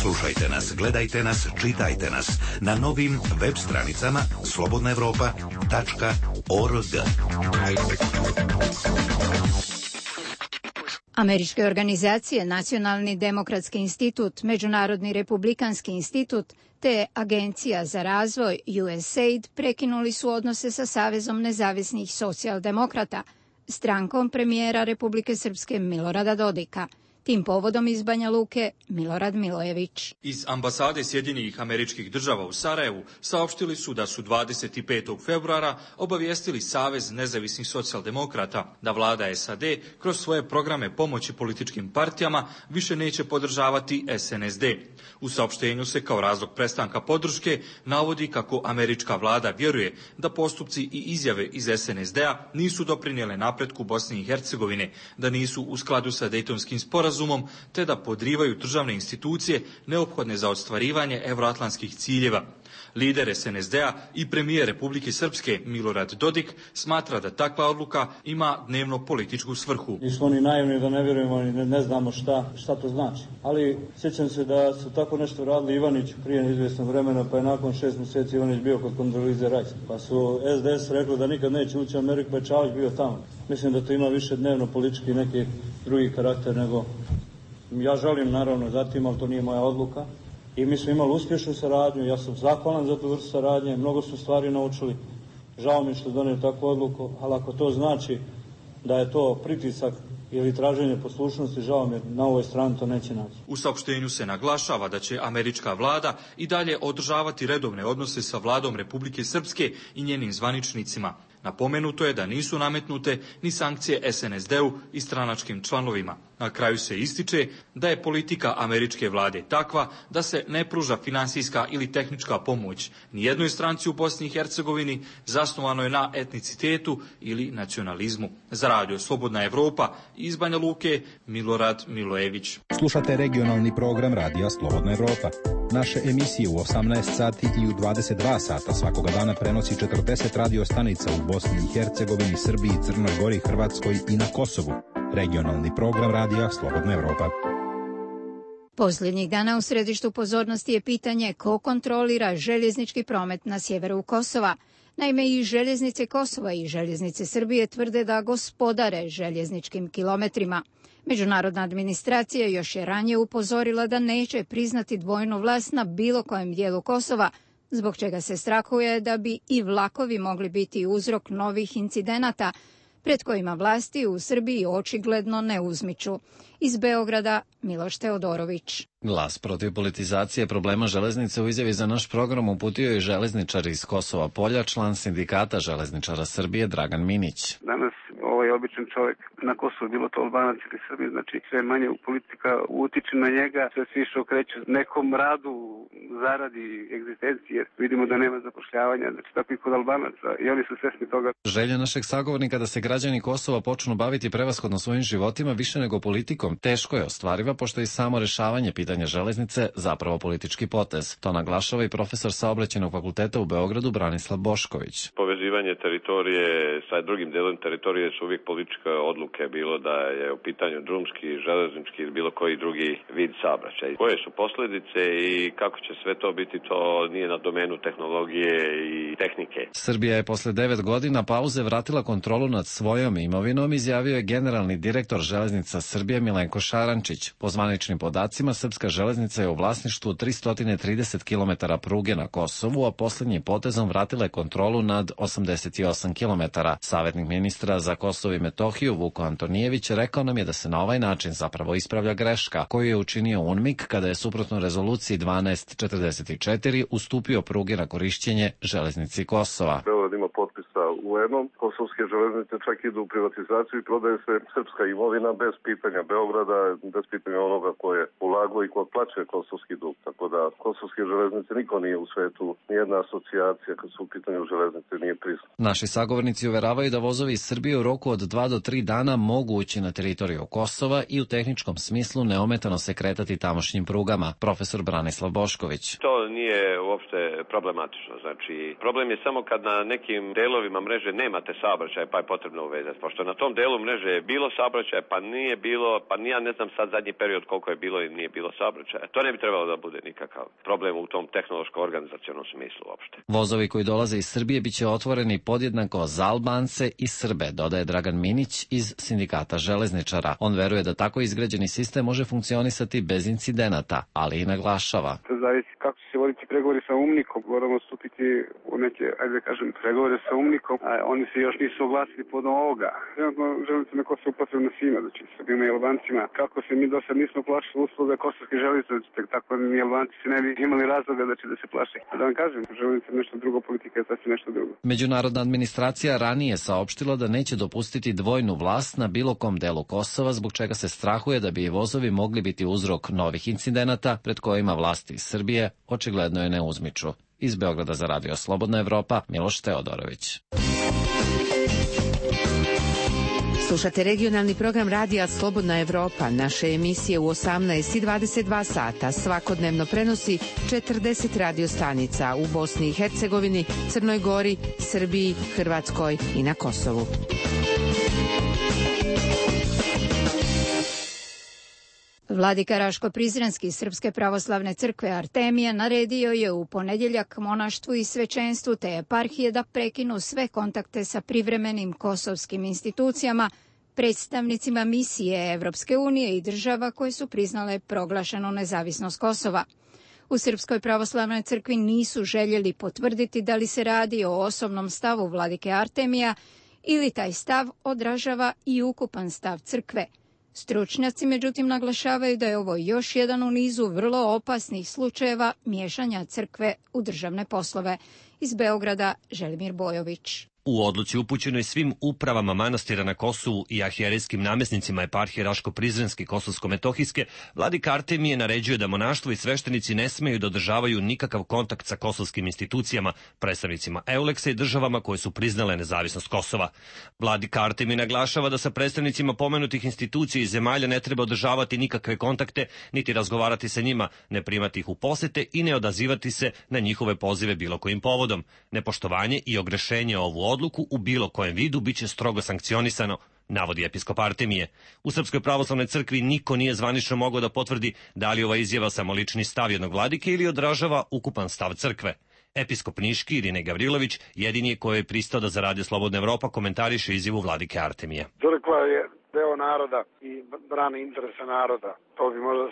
Slušajte nas, gledajte nas, čitajte nas na novim web stranicama slobodnaevropa.org. Američke organizacije Nacionalni demokratski institut, Međunarodni republikanski institut te Agencija za razvoj USAID prekinuli su odnose sa Savezom nezavisnih socijaldemokrata, strankom premijera Republike Srpske Milorada Dodika. Tim povodom iz Banja Luke Milorad Milojević. Iz ambasade Sjedinjenih Američkih Država u Sarajevu saopštili su da su 25. februara obavijestili Savez nezavisnih socijaldemokrata da vlada SAD kroz svoje programe pomoći političkim partijama više neće podržavati SNSD. U saopštenju se kao razlog prestanka podrške navodi kako američka vlada vjeruje da postupci i izjave iz SNSD-a nisu doprinijele napretku Bosne i Hercegovine, da nisu u skladu sa Dejtonskim sporazumom, te da podrivaju državne institucije neophodne za ostvarivanje evroatlantskih ciljeva. Lider SNSD-a i premijer Republike Srpske Milorad Dodik smatra da takva odluka ima dnevno političku svrhu. Nismo ni naivni da ne vjerujemo i ne znamo šta to znači. Ali sjećam se da su tako nešto radili Ivanić prije izvjesnog vremena, pa je nakon 6 mjeseci Ivanić bio kod Kondolize Rice. Pa su SDS rekli da nikad neće ući u Ameriku, pa je Čavić bio tamo. Mislim da to ima više dnevno politički neki drugi karakter nego... Ja želim naravno zatim, ali to nije moja odluka. I mi smo imali uspješnu saradnju, ja sam zahvalan za tu vrstu saradnje, mnogo smo stvari naučili. Žao mi što donio takvu odluku, ali ako to znači da je to pritisak ili traženje poslušnosti, žao mi, na ovoj strani to neće naći. U saopštenju se naglašava da će američka vlada i dalje održavati redovne odnose sa vladom Republike Srpske i njenim zvaničnicima. Napomenuto je da nisu nametnute ni sankcije SNSD-u i stranačkim članovima. Na kraju se ističe da je politika američke vlade takva da se ne pruža finansijska ili tehnička pomoć ni jednoj stranci u Bosni i Hercegovini zasnovanoj na etnicitetu ili nacionalizmu. Za Radio Slobodna Evropa iz Banja Luke Milorad Milojević. Slušate regionalni program Radija Slobodna Evropa. Naše emisije u 18 sati i u 22 sata svakoga dana prenosi 40 radio stanica u Bosni i Hercegovini, Srbiji, Crnoj Gori, Hrvatskoj i na Kosovu. Regionalni program Radija Slobodna Evropa. Posljednjih dana u središtu pozornosti je pitanje ko kontrolira željeznički promet na sjeveru Kosova. Naime, i željeznice Kosova i željeznice Srbije tvrde da gospodare željezničkim kilometrima. Međunarodna administracija još je ranije upozorila da neće priznati dvojnu vlast na bilo kojem dijelu Kosova, zbog čega se strahuje da bi i vlakovi mogli biti uzrok novih incidenata, pred kojima vlasti u Srbiji očigledno ne uzmiču. Iz Beograda Miloš Teodorović. Glas protiv politizacije problema železnice u izjavi za naš program uputio je železničar iz Kosova Polja, član sindikata železničara Srbije Dragan Minić. Danas običan čovjek na Kosovu, bilo to Albanac ili Srbi, znači sve manje politika utiče na njega, sve se više okreće nekom radu, zaradi, egzistenciji, jer vidimo da nema zapošljavanja, znači tako i kod Albanaca i oni su svesni toga. Želja našeg sagovornika da se građani Kosova počnu baviti prevashodno svojim životima više nego politikom teško je ostvariva, pošto je i samo rešavanje pitanja železnice zapravo politički potez. To naglašava i profesor Saobraćajnog fakulteta u Beogradu Branislav Bošković. Povezivanje teritorije sa drugim delom teritorije su uvijek političke odluke, bilo da je u pitanju drumski, železnički ili bilo koji drugi vid saobraćaja. Koje su posljedice i kako će sve to biti, to nije na domenu tehnologije i tehnike. Srbija je posle 9 godina pauze vratila kontrolu nad svojom imovinom, izjavio je generalni direktor Železnica Srbije Milenko Šarančić. Po zvaničnim podacima, srpska železnica je u vlasništvu 330 km pruge na Kosovu, a posljednjim potezom vratila je kontrolu nad 88 km. Savjetnik ministra za Kosovo i Metohiju Vuko Antonijević rekao nam je da se na ovaj način zapravo ispravlja greška koju je učinio UNMIK kada je suprotno rezoluciji 1244 ustupio pruge na korišćenje železnici Kosova. Beograd ima potpisa UN-om, kosovske železnice čak idu u privatizaciju i prodaje se srpska imovina bez pitanja Beograda, bez pitanja onoga ko je ulagao i ko plaća kosovski dug. Tako da kosovske železnice niko nije u svetu, nijedna asocijacija kad su u pitanju železnice nije prisutna. Naši sagovornici uveravaju da vozovi iz Srbije u roku od 2 do 3 dana mogu ući na teritoriju Kosova i u tehničkom smislu neometano se kretati tamošnjim prugama. Profesor Branislav Bošković. To nije uopšte problematično. Znači, problem je samo kad na nekim delovima mreže nemate saobraćaj, pa je potrebno uvezati. Pošto na tom delu mreže je bilo saobraćaj, pa nije bilo, pa ja ne znam sad zadnji period koliko je bilo i nije bilo saobraćaja. To ne bi trebalo da bude nikakav problem u tom tehnološko-organizacionom smislu uopšte. Vozovi koji dolaze iz Srbije biće otvoreni podjednako za Albance i Srbe, dodaje Dragan Minić iz Sindikata železničara. On veruje da tako izgrađeni sistem može funkcionisati bez incidenata, ali i naglašava. To zavisi kako će se voditi pregovori sa UNMIK-om. Moramo stupiti u neke, ajde da kažem, pregovore sa UNMIK-om, a oni se još nisu oglasili pod ovoga. Trenutno železnice na Kosovu potrebno svima, znači Srbima i Albancima. Kako se mi do sad nismo plašili usluga kosovske železnice, tako ni Albanci se ne bi imali razloga da se plaše. A da vam kažem, železnice nešto drugo, politika je sasvim nešto drugo. Međunarodna administracija ranije saopštila da neće dopustiti dvojnu vlast na bilo kom delu Kosova, zbog čega se strahuje da bi i vozovi mogli biti uzrok novih incidenata pred kojima vlasti iz Srbije očigledno je ne uzmiču. Iz Beograda za Radio Slobodna Evropa, Miloš Teodorović. Slušate regionalni program Radija Slobodna Evropa. Naše emisije u 18 i 22 sata svakodnevno prenosi 40 radio stanica u Bosni i Hercegovini, Crnoj Gori, Srbiji, Hrvatskoj i na Kosovu. Vladika Raško-Prizrenski Srpske pravoslavne crkve Artemija naredio je u ponedjeljak monaštvu i svećenstvu te eparhije da prekinu sve kontakte sa privremenim kosovskim institucijama, predstavnicima misije Evropske unije i država koje su priznale proglašenu nezavisnost Kosova. U Srpskoj pravoslavnoj crkvi nisu željeli potvrditi da li se radi o osobnom stavu vladike Artemija ili taj stav odražava i ukupan stav crkve. Stručnjaci međutim naglašavaju da je ovo još jedan u nizu vrlo opasnih slučajeva miješanja crkve u državne poslove. Iz Beograda Želimir Bojović. U odluci upućenoj svim upravama manastira na Kosovu i arhijerejskim namjesnicima eparhije Raško-Prizrenske i Kosovsko-Metohijske, vladika Artemije naređuje da monaštvo i sveštenici ne smeju da održavaju nikakav kontakt sa kosovskim institucijama, predstavnicima Euleksa i državama koje su priznale nezavisnost Kosova. Vladika Artemije naglašava da sa predstavnicima pomenutih institucija i zemalja ne treba održavati nikakve kontakte, niti razgovarati sa njima, ne primati ih u posete i ne odazivati se na njihove pozive bilo kojim povodom. Nepoštovanje i ogrešenje ovu odluku u bilo kojem vidu biće strogo sankcionisano, navodi episkop Artemije. U Srpskoj pravoslavnoj crkvi niko nije zvanično mogao da potvrdi da li ova izjava samo lični stav jednog vladike ili odražava ukupan stav crkve. Episkop Niški Irine Gavrilović jedini je koji je pristao da za Radio Slobodna Evropa komentariše izjavu vladike Artemije. Crkva je deo naroda i brani interese naroda. To bi možda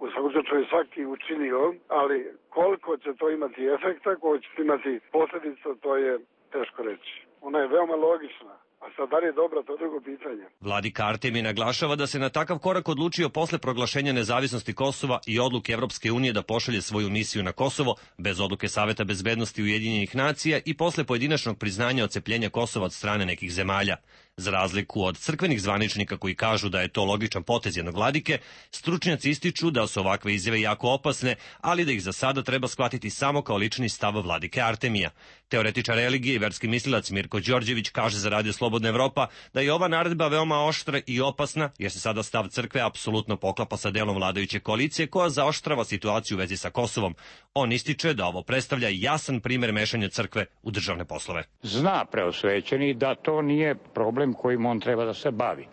u svakom slučaju svaki učinio, ali koliko će to imati efekta, koliko će imati posljedica, to je teško reći. Ona je veoma logična, A sad da li je dobra, to je drugo pitanje. Vladika Artemije naglašava da se na takav korak odlučio posle proglašenja nezavisnosti Kosova i odluke Evropske unije da pošalje svoju misiju na Kosovo bez odluke Saveta bezbednosti Ujedinjenih nacija i posle pojedinačnog priznanja odcepljenja Kosova od strane nekih zemalja. Za razliku od crkvenih zvaničnika koji kažu da je to logičan potez jednog vladike, stručnjaci ističu da su ovakve izjave jako opasne, ali da ih za sada treba shvatiti samo kao lični stav vladike Artemija. Teoretičar religije i verski mislilac Mirko Đorđević kaže za Radio Slobodna Evropa da je ova naredba veoma oštra i opasna, jer se sada stav crkve apsolutno poklapa sa delom vladajuće koalicije koja zaoštrava situaciju u vezi sa Kosovom. On ističe da ovo predstavlja jasan primer mešanja crkve u državne poslove. Zna preosvećeni da to nije problem kojim on treba da se bavi.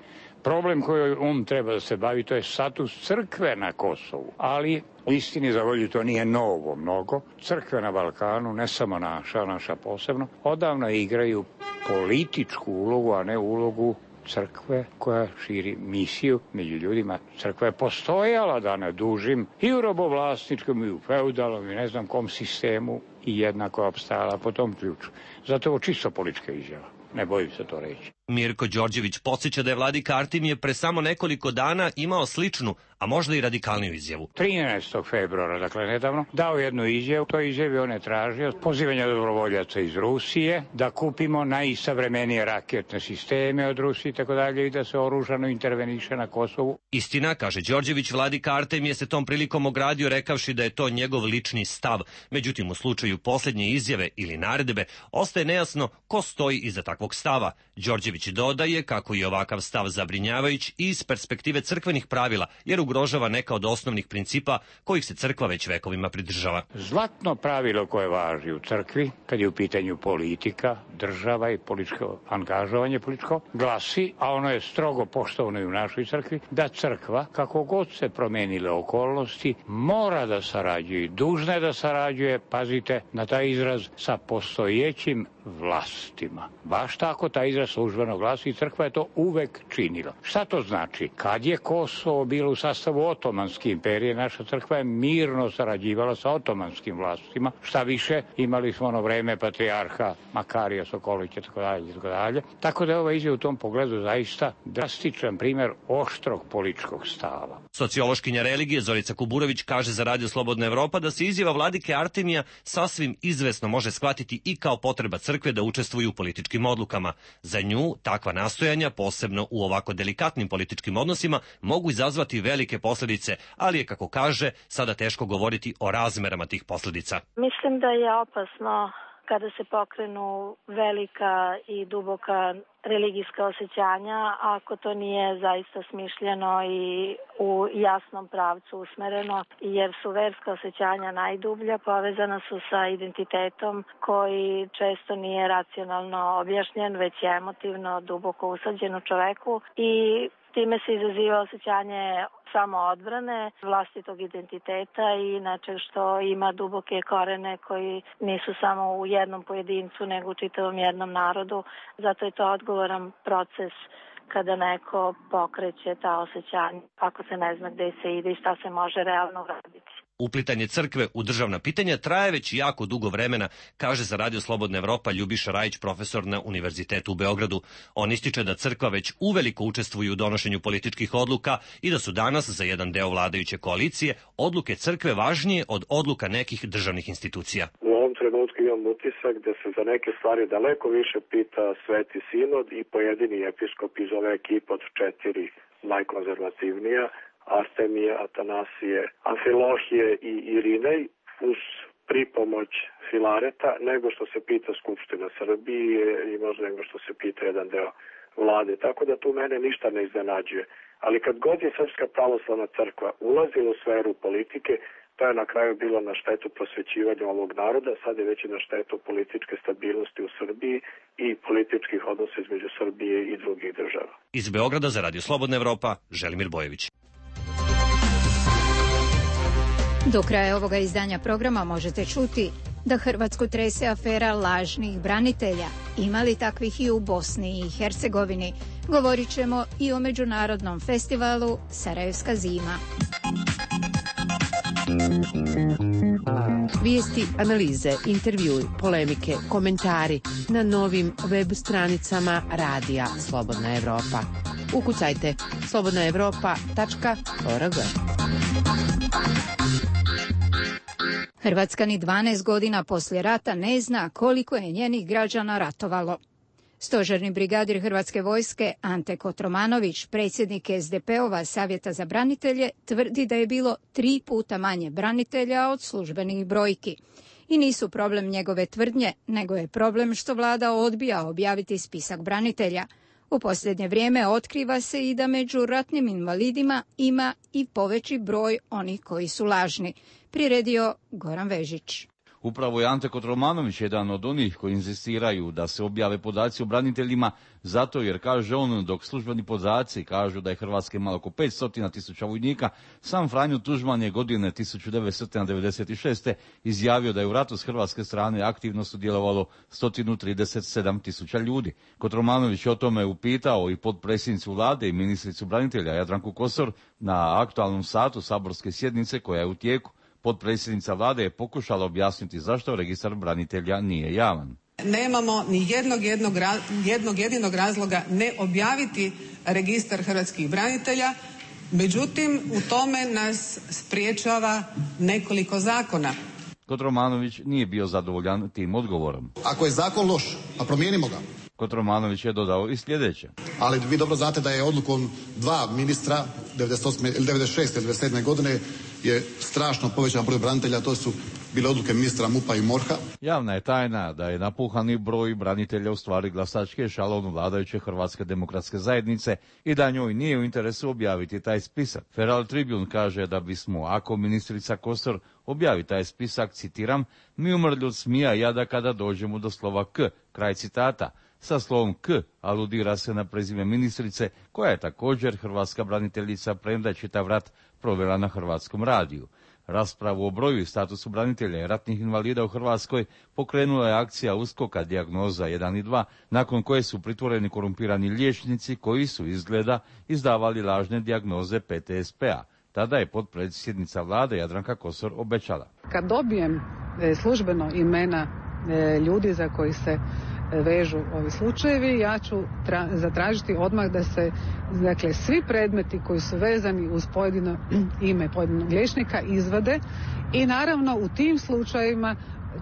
Problem kojim on treba da se bavi, to je status crkve na Kosovu. Ali, istini za volju, to nije novo mnogo. Crkve na Balkanu, ne samo naša posebno, odavno igraju političku ulogu, a ne ulogu crkve koja širi misiju među ljudima. Crkva je postojala, da ne dužim, i u robovlasničkom, i u feudalnom, i ne znam kom sistemu, i jednako opstajala po tom ključu. Zato je ovo čisto politička izjava. Ne bojim se to reći. Mirko Đorđević podsjeća da je vladika Artemije pre samo nekoliko dana imao sličnu, a možda i radikalniju izjavu. 13. februara, dakle nedavno, dao jednu izjavu. To izjavi on je tražio pozivanje dobrovoljaca iz Rusije, da kupimo najsavremenije raketne sisteme od Rusije i da se oružano interveniše na Kosovu. Istina, kaže Đorđević, vladika Artemije se tom prilikom ogradio rekavši da je to njegov lični stav. Međutim, u slučaju posljednje izjave ili naredbe, ostaje nejasno ko stoji iza takvog stava. Đorđević dodaje kako je ovakav stav zabrinjavajuć i iz perspektive crkvenih pravila, jer ugrožava neka od osnovnih principa kojih se crkva već vekovima pridržava. Zlatno pravilo koje važi u crkvi, kad je u pitanju politika, država i političko angažovanje političko, glasi, a ono je strogo poštovano i u našoj crkvi, da crkva, kako god se promenile okolnosti, mora da sarađuje i dužna je da sarađuje, pazite na taj izraz, sa postojećim vlastima. Baš tako taj izraz službeno glasi i crkva je to uvek činila. Šta to znači? Kad je Kosovo bilo u sastavu Otomanske imperije, naša crkva je mirno sarađivala sa otomanskim vlastima. Šta više, imali smo ono vreme patrijarha Makarija Sokolića, tako dalje. Tako da je ova izjava u tom pogledu zaista drastičan primer oštrog političkog stava. Sociološkinja religije Zorica Kuburović kaže za Radio Slobodna Evropa da se izjava vladike Artemija sasvim izvesno može shvatiti i kao potreba crkve da učestvuju u političkim odlukama. Za nju takva nastojanja, posebno u ovako delikatnim političkim odnosima, mogu izazvati velike posljedice, ali je, kako kaže, sada teško govoriti o razmerama tih posljedica. Mislim da je opasno kada se pokrenu velika i duboka religijska osjećanja, ako to nije zaista smišljeno i u jasnom pravcu usmereno, jer su verska osjećanja najdublja, povezana su sa identitetom koji često nije racionalno objašnjen, već je emotivno duboko usađen u čoveku i time se izaziva osjećanje samoodbrane, vlastitog identiteta i nečeg što ima duboke korene koji nisu samo u jednom pojedincu, nego u čitavom jednom narodu. Zato je to odgovoran proces kada neko pokreće ta osjećanja, ako se ne zna gde se ide i šta se može realno uraditi. Uplitanje crkve u državna pitanja traje već jako dugo vremena, kaže za Radio Slobodna Evropa Ljubiša Rajić, profesor na Univerzitetu u Beogradu. On ističe da crkva već uveliko učestvuje u donošenju političkih odluka i da su danas za jedan deo vladajuće koalicije odluke crkve važnije od odluka nekih državnih institucija. U ovom trenutku imam utisak da se za neke stvari daleko više pita Sveti Sinod i pojedini episkop iz ove ekipe od 4 najkonzervativnija, Artemije, Atanasije, Amfilohije i Irinej, uz pripomoć Filareta, nego što se pita Skupština Srbije i možda nego što se pita jedan deo vlade. Tako da tu mene ništa ne iznenađuje. Ali kad god je Srpska pravoslavna crkva ulazila u sferu politike, to je na kraju bilo na štetu prosvećivanja ovog naroda, sad je već i na štetu političke stabilnosti u Srbiji i političkih odnosa između Srbije i drugih država. Iz Beograda za Radio Slobodna Evropa, Želimir Bojević. Do kraja ovoga izdanja programa možete čuti da Hrvatsku trese afera lažnih branitelja. Ima li takvih i u Bosni i Hercegovini? Govorit ćemo i o međunarodnom festivalu Sarajevska zima. Vijesti, analize, intervjui, polemike, komentari na novim web stranicama Radija Slobodna Evropa. Ukucajte slobodnaevropa.org. Hrvatska ni 12 godina poslije rata ne zna koliko je njenih građana ratovalo. Stožerni brigadir Hrvatske vojske Ante Kotromanović, predsjednik SDP-ova Savjeta za branitelje, tvrdi da je bilo 3 puta manje branitelja od službenih brojki. I nisu problem njegove tvrdnje, nego je problem što vlada odbija objaviti spisak branitelja. U posljednje vrijeme otkriva se i da među ratnim invalidima ima i poveći broj onih koji su lažni. Priredio Goran Vežić. Upravo je Ante Kotromanović jedan od onih koji inzistiraju da se objave podaci o braniteljima, zato jer, kaže on, dok službeni podaci kažu da je Hrvatska imala oko 500.000 vojnika, sam Franjo Tuđman je godine 1996. izjavio da je u ratu s hrvatske strane aktivno sudjelovalo 137.000 ljudi. Kotromanović o tome upitao i potpredsjednicu vlade i ministricu branitelja Jadranku Kosor na aktualnom satu saborske sjednice koja je u tijeku. Potpredsjednica vlade je pokušala objasniti zašto registar branitelja nije javan. Nemamo ni jednog jedinog razloga ne objaviti registar hrvatskih branitelja, međutim u tome nas spriječava nekoliko zakona. Kotromanović nije bio zadovoljan tim odgovorom. Ako je zakon loš, pa promijenimo ga. Kotromanović je dodao i sljedeće. Ali vi dobro znate da je odlukom 2 ministra 96. ili 97. godine je strašno povećan broj branitelja, to su bile odluke ministra MUP-a i MORH-a. Javna je tajna da je napuhani broj branitelja u stvari glasački ešalon vladajuće Hrvatske demokratske zajednice i da njoj nije u interesu objaviti taj spisak. Feral Tribune kaže da bismo, ako ministrica Kosor objavi taj spisak, citiram, mi umrli od smija i jada kada dođemo do slova K, kraj citata. Sa slovom K aludira se na prezime ministrice, koja je također hrvatska braniteljica, premda je čitav rat provela na Hrvatskom radiju. Raspravu o broju i statusu branitelja i ratnih invalida u Hrvatskoj pokrenula je akcija USKOK-a Dijagnoza 1 i 2, nakon koje su pritvoreni korumpirani liječnici koji su, izgleda, izdavali lažne dijagnoze PTSP-a. Tada je potpredsjednica vlade Jadranka Kosor obećala. Kad dobijem službeno imena ljudi za koji se vežu ovi slučajevi, ja ću zatražiti odmah da se, dakle, svi predmeti koji su vezani uz pojedino ime pojedinog liječnika izvade i naravno u tim slučajevima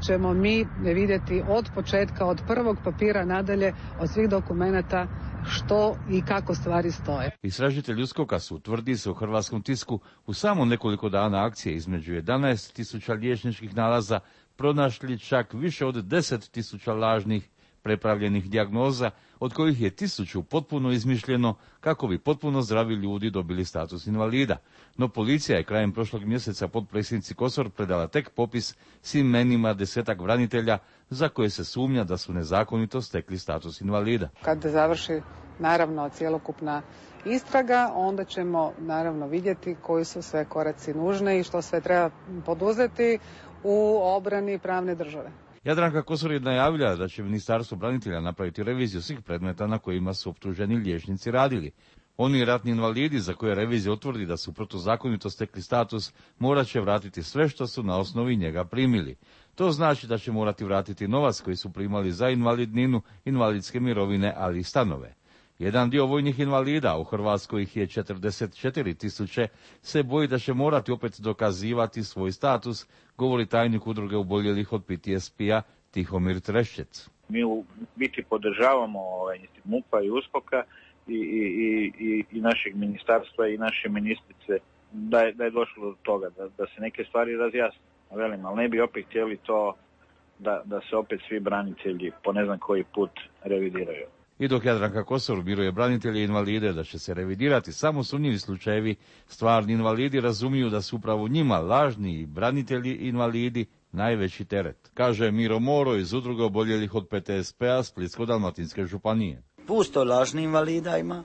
ćemo mi vidjeti od početka, od prvog papira nadalje, od svih dokumenata što i kako stvari stoje. Istražitelji USKOK-a su, tvrdi se u hrvatskom tisku, u samo nekoliko dana akcije između 11.000 liječničkih nalaza pronašli čak više od 10.000 lažnih prepravljenih dijagnoza, od kojih je 1000 potpuno izmišljeno kako bi potpuno zdravi ljudi dobili status invalida. No policija je krajem prošlog mjeseca potpredsjednici Kosor predala tek popis s imenima 10-ak branitelja za koje se sumnja da su nezakonito stekli status invalida. Kad završi naravno cjelokupna istraga, onda ćemo naravno vidjeti koji su sve koraci nužni i što sve treba poduzeti u obrani pravne države. Jadranka Kosor je najavila da će Ministarstvo branitelja napraviti reviziju svih predmeta na kojima su optuženi liječnici radili. Oni ratni invalidi za koje revizija utvrdi da su protuzakonito stekli status morat će vratiti sve što su na osnovi njega primili. To znači da će morati vratiti novac koji su primali za invalidninu, invalidske mirovine, ali i stanove. Jedan dio vojnih invalida, u Hrvatskoj ih je 44.000, se boji da će morati opet dokazivati svoj status, govori tajnik udruge oboljelih od PTSP-a Tihomir Treščec. Mi u biti podržavamo MUP-a i USKOK-a i našeg ministarstva i naše ministrice da je došlo do toga, da se neke stvari razjasne. Velim, ali ne bi opet htjeli to da se opet svi branitelji po ne znam koji put revidiraju. I dok Jadranka Kosor miruje branitelje i invalide da će se revidirati samo sumnjivi slučajevi, stvarni invalidi razumiju da su upravo njima lažni branitelji i invalidi najveći teret, kaže Miro Moro iz udruge oboljelih od PTSP-a Splitsko-dalmatinske županije. Pusto lažni invalida ima,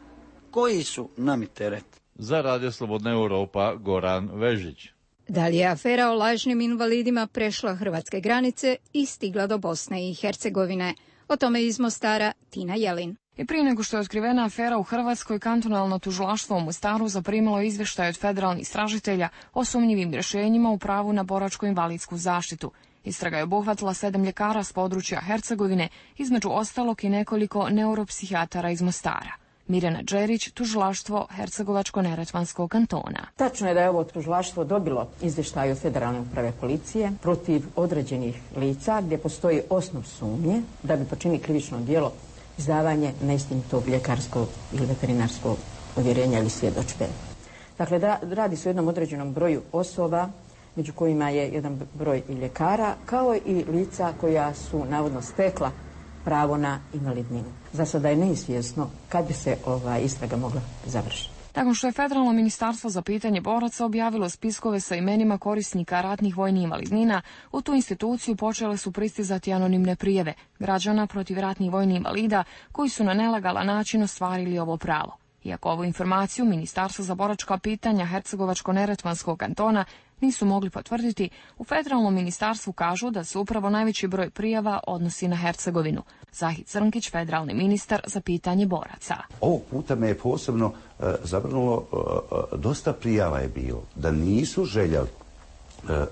koji su nami teret. Za Radio Slobodna Europa, Goran Vežić. Da li je afera o lažnim invalidima prešla hrvatske granice i stigla do Bosne i Hercegovine? O tome iz Mostara Tina Jelin. I prije nego što je otkrivena afera u Hrvatskoj, kantonalno tužilaštvo u Mostaru zaprimilo izvještaj od federalnih istražitelja o sumnjivim rješenjima u pravu na boračko-invalidsku zaštitu. Istraga je obuhvatila 7 ljekara s područja Hercegovine, između ostalog i nekoliko neuropsihijatara iz Mostara. Mirjana Đerić, tužilaštvo Hercegovačko-neretvanskog kantona. Tačno je da je ovo tužilaštvo dobilo izvještaj od Federalne uprave policije protiv određenih lica gdje postoji osnov sumnje da bi počinili krivično djelo izdavanje neistinitog ljekarskog ili veterinarskog uvjerenja ili svjedodžbe. Dakle, radi se o jednom određenom broju osoba, među kojima je jedan broj i ljekara, kao i lica koja su navodno stekla pravo na invalidninu. Za sada je neizvjesno kad bi se istraga mogla završiti. Nakon što je Federalno ministarstvo za pitanje boraca objavilo spiskove sa imenima korisnika ratnih vojnih invalidnina, u tu instituciju počele su pristizati anonimne prijave građana protiv ratnih vojnih invalida koji su na nelegalan način ostvarili ovo pravo. Iako ovu informaciju Ministarstvo za boračka pitanja Hercegovačko-neretvanskog kantona nisu mogli potvrditi, u Federalnom ministarstvu kažu da se upravo najveći broj prijava odnosi na Hercegovinu. Zahid Crnkić, federalni ministar za pitanje boraca. Ovog puta me je posebno zabrnulo, dosta prijava je bilo da nisu željeli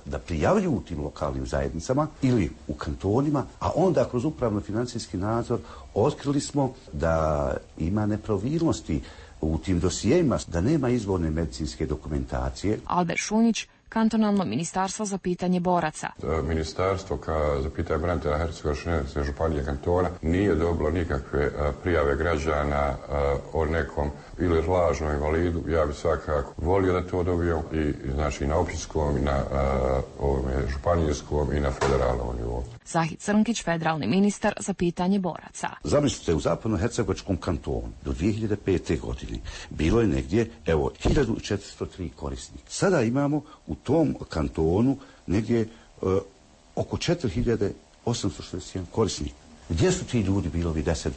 da prijavljuju u tim lokalnim zajednicama ili u kantonima, a onda kroz upravno-financijski nadzor otkrili smo da ima nepravilnosti u tim dosijejima, da nema izvorne medicinske dokumentacije. Albert Šunjić, kantonalno ministarstvo za pitanje boraca. Ministarstvo za pitanje branitelja Hercegovačke županije kantona nije dobilo nikakve prijave građana o nekom ili lažnom invalidu. Ja bih svakako volio da to dobio i znači na općinskom i na županijskom i na federalnom nivou. Zahid Crnkić, federalni ministar za pitanje boraca. Zamislite, u zapadno-hercegovačkom kantonu do 2005. godine bilo je negdje, 1403 korisnika. Sada imamo u tom kantonu negdje oko 4861 korisnika. Gdje su ti ljudi bili ovi 10-12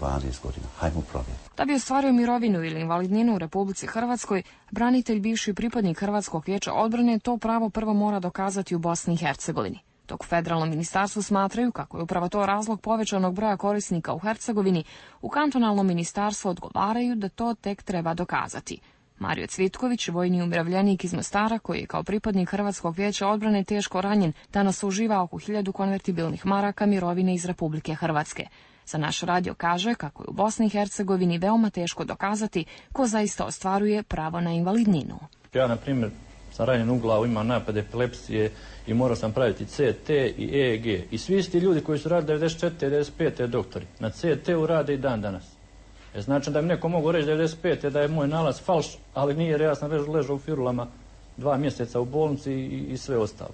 godina? Hajmo provjeriti. Da bi ostvario mirovinu ili invalidninu u Republici Hrvatskoj, branitelj, bivši pripadnik Hrvatskog vijeća odbrane, to pravo prvo mora dokazati u Bosni i Hercegovini. Dok u Federalnom ministarstvu smatraju kako je upravo to razlog povećanog broja korisnika u Hercegovini, u kantonalnom ministarstvu odgovaraju da to tek treba dokazati. Mario Cvitković, vojni umirovljenik iz Mostara, koji je kao pripadnik Hrvatskog vijeća odbrane teško ranjen, danas uživa oko 1000 konvertibilnih maraka mirovine iz Republike Hrvatske. Za naš radio kaže kako je u Bosni i Hercegovini veoma teško dokazati ko zaista ostvaruje pravo na invalidninu. Ja, na primjer, sam ranjen u glavu, imam napad epilepsije i morao sam praviti CT i EEG. I svi ti ljudi koji su radili 94. 95. doktori, na CT-u rade i dan danas. Znači da mi neko mogu reći 95. da je moj nalaz falš, ali nije, jer ja sam ležao u firulama 2 mjeseca u bolnici i sve ostalo.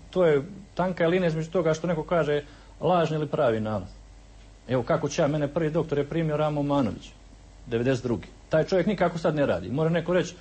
To je tanka linija između toga što neko kaže lažni ili pravi nalaz. Evo kako će mene prvi doktor je primio Ramo Manović, 92. Taj čovjek nikako sad ne radi. Mora neko reći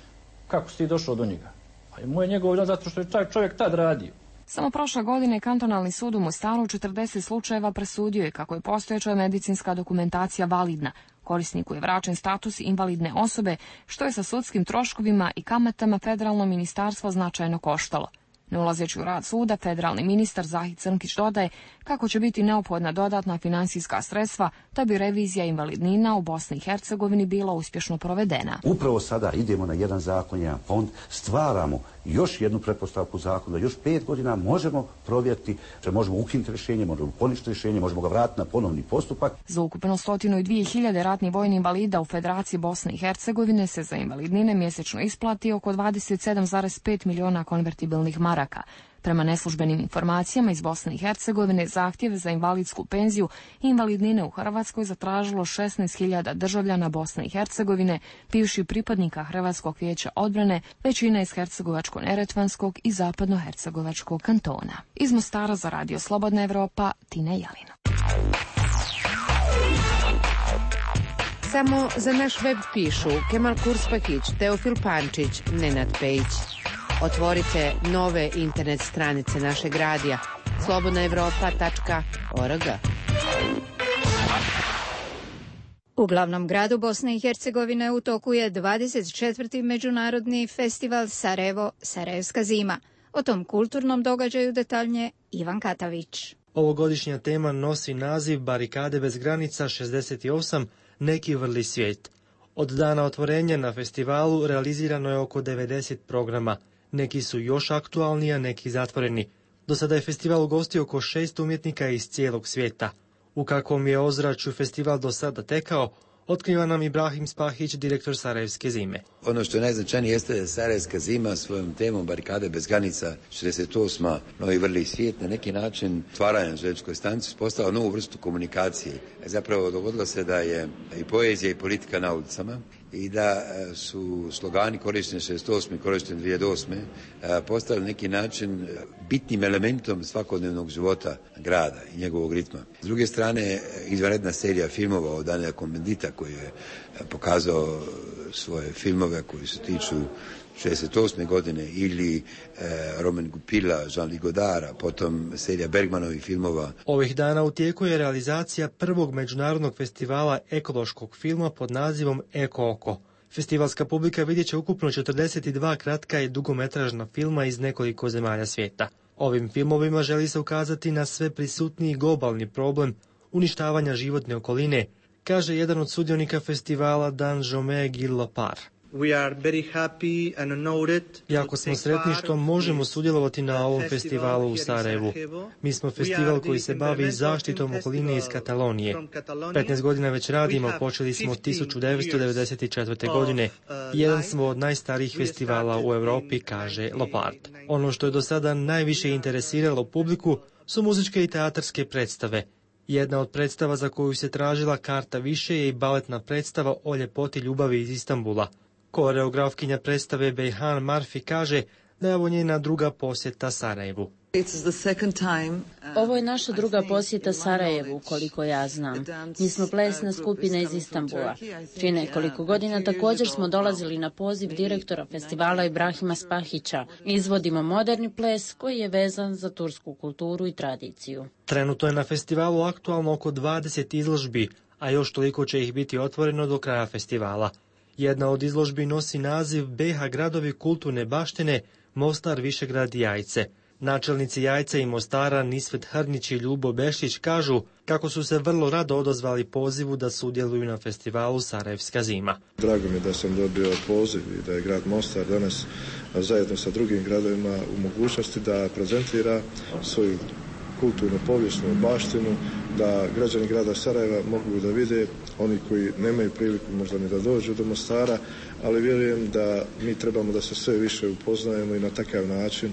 kako si ti došao do njega. A moj je njegov zato što je taj čovjek tad radio. Samo prošle godine kantonalni sud u Mostaru 40 slučajeva presudio je kako je postojeća medicinska dokumentacija validna. Korisniku je vraćen status invalidne osobe, što je sa sudskim troškovima i kamatama Federalno ministarstvo značajno koštalo. Ne ulazeći u rad suda, federalni ministar Zahid Crnkić dodaje kako će biti neophodna dodatna finansijska sredstva da bi revizija invalidnina u Bosni i Hercegovini bila uspješno provedena. Upravo sada idemo na jedan zakon, jedan fond, stvaramo još jednu pretpostavku zakona, da još 5 godina možemo provjeriti, že možemo ukinuti rješenje, možemo poništiti rješenje, možemo ga vratiti na ponovni postupak. Za ukupno 102.000 ratnih vojnih invalida u Federaciji Bosne i Hercegovine se za invalidnine mjesečno isplati oko 27,5 miliona konvertibilnih maraka. Prema neslužbenim informacijama iz Bosne i Hercegovine, zahtjeve za invalidsku penziju i invalidnine u Hrvatskoj zatražilo 16.000 državljana Bosne i Hercegovine, bivših pripadnika Hrvatskog vijeća odbrane, većina iz Hercegovačko-neretvanskog i zapadno-hercegovačkog kantona. Iz Mostara za Radio Slobodna Evropa, Tina Jelina. Samo za naš web pišu Kemal Kurspakić, Teofil Pančić, Nenad Pejić. Otvorite nove internet stranice našeg radija slobodnaevropa.org. U glavnom gradu Bosne i Hercegovine u toku je 24. međunarodni festival Sarajevo, Sarajevska zima. O tom kulturnom događaju detaljnije Ivan Katavić. Ovogodišnja tema nosi naziv Barikade bez granica 68, Neki vrli svijet. Od dana otvorenja na festivalu realizirano je oko 90 programa. Neki su još aktualni, a neki zatvoreni. Do sada je festival ugostio oko 6 umjetnika iz cijelog svijeta. U kakvom je ozračju festival do sada tekao, otkriva nam Ibrahim Spahić, direktor Sarajevske zime. Ono što je najznačajnije jeste da Sarajevska zima svojom temom Barikade bez granica 68. Novi vrli svijet na neki način stvaranja na željezničkoj stanici postala novu vrstu komunikacije. Zapravo dogodilo se da je i poezija i politika na ulicama i da su slogani korišteni 68. i korišteni 2008. Postali neki način bitnim elementom svakodnevnog života grada i njegovog ritma. S druge strane, izvanredna serija filmova od Daniela Cohn-Bendita koji je pokazao svoje filmove koji se tiču 68. godine ili Romain Goupila, Jean-Luc Godara, potom serija Bergmanovih filmova. Ovih dana u tijeku je realizacija prvog međunarodnog festivala ekološkog filma pod nazivom Eko oko. Festivalska publika vidjet će ukupno 42 kratka i dugometražna filma iz nekoliko zemalja svijeta. Ovim filmovima želi se ukazati na sve prisutniji globalni problem uništavanja životne okoline, kaže jedan od sudionika festivala Dan Jome Gillopar. Jako smo sretni što možemo sudjelovati na ovom festivalu u Sarajevu. Mi smo festival koji se bavi zaštitom okoline iz Katalonije. 15 godina već radimo, počeli smo 1994. godine. Jedan smo od najstarijih festivala u Europi, kaže Lopard. Ono što je do sada najviše interesiralo publiku su muzičke i teatarske predstave. Jedna od predstava za koju se tražila karta više je i baletna predstava o ljepoti ljubavi iz Istanbula. Koreografkinja predstave Bejhan Marfi kaže da je ovo njena druga posjeta Sarajevu. Ovo je naša druga posjeta Sarajevu, koliko ja znam. Mi smo plesna skupina iz Istanbula. Prije nekoliko godina također smo dolazili na poziv direktora festivala Ibrahima Spahića. Izvodimo moderni ples koji je vezan za tursku kulturu i tradiciju. Trenutno je na festivalu aktualno oko 20 izložbi, a još toliko će ih biti otvoreno do kraja festivala. Jedna od izložbi nosi naziv BiH gradovi kulturne baštine, Mostar, Višegrad i Jajce. Načelnici Jajce i Mostara Nisvet Hrnić i Ljubo Bešić kažu kako su se vrlo rado odazvali pozivu da sudjeluju na festivalu Sarajevska zima. Drago mi je da sam dobio poziv i da je grad Mostar danas zajedno sa drugim gradovima u mogućnosti da prezentira svoju kulturnu povijesnu baštinu, da građani grada Sarajeva mogu da vide, oni koji nemaju priliku možda ni da dođu do Mostara, ali vjerujem da mi trebamo da se sve više upoznajemo i na takav način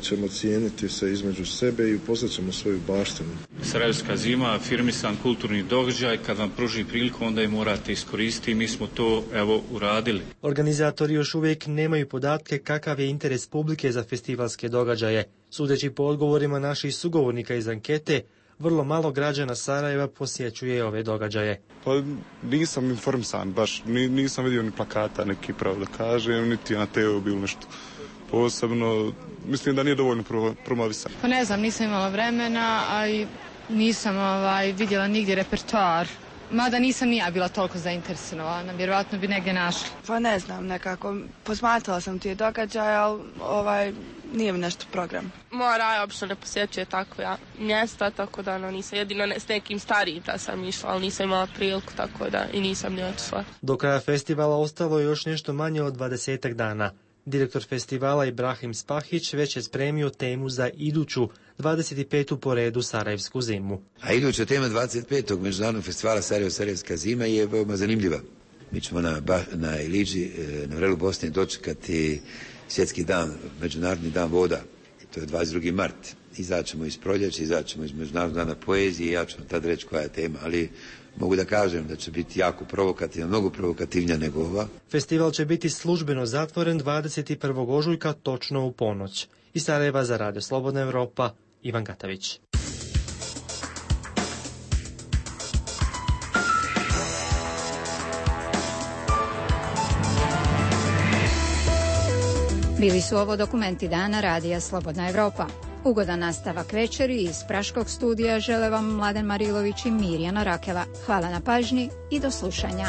ćemo cijeniti se između sebe i upoznat ćemo svoju baštinu. Sarajevska zima, afirmisan kulturni događaj, kad vam pruži priliku onda je morate iskoristiti i mi smo to uradili. Organizatori još uvijek nemaju podatke kakav je interes publike za festivalske događaje. Sudeći po odgovorima naših sugovornika iz ankete, vrlo malo građana Sarajeva posjećuje ove događaje. Pa nisam informisan, baš nisam vidio ni plakata neki, pravo da kažem, niti na TV bilo nešto posebno. Mislim da nije dovoljno promovisan. Pa ne znam, nisam imala vremena, a i nisam vidjela nigdje repertoar. Mada nisam ni ja bila toliko zainteresovana, vjerojatno bi negdje našli. Pa ne znam, nekako posmatrala sam ti događaje, ali nije mi nešto program. Moja Raja obično ne posjećuje takva mjesta, tako da nisam, jedino s nekim starijim da sam išla, ali nisam imala priliku, tako da i nisam ni otišla. Do kraja festivala ostalo je još nešto manje od 20 dana. Direktor festivala Ibrahim Spahić već je spremio temu za iduću 25. po redu Sarajevsku zimu. A iduća tema 25. međunarodnog festivala Sarajevska zima je veoma zanimljiva. Mi ćemo na Iliđi, na vrelu Bosne, dočekati svjetski dan, međunarodni dan voda. To je 22. mart. Izaćemo iz proljeća, izaćemo iz međunarodnog dana poezije i ja ću vam tad reći koja je tema, ali mogu da kažem da će biti jako provokativna, mnogo provokativnija nego ova. Festival će biti službeno zatvoren 21. ožujka točno u ponoć. Iz Sarajeva za Radio Slobodna Evropa, Ivan Gatavić. Bili su ovo dokumenti dana Radija Slobodna Evropa. Ugodan nastavak večeri iz Praškog studija žele vam Mladen Marilović i Mirjana Rakela. Hvala na pažnji i do slušanja.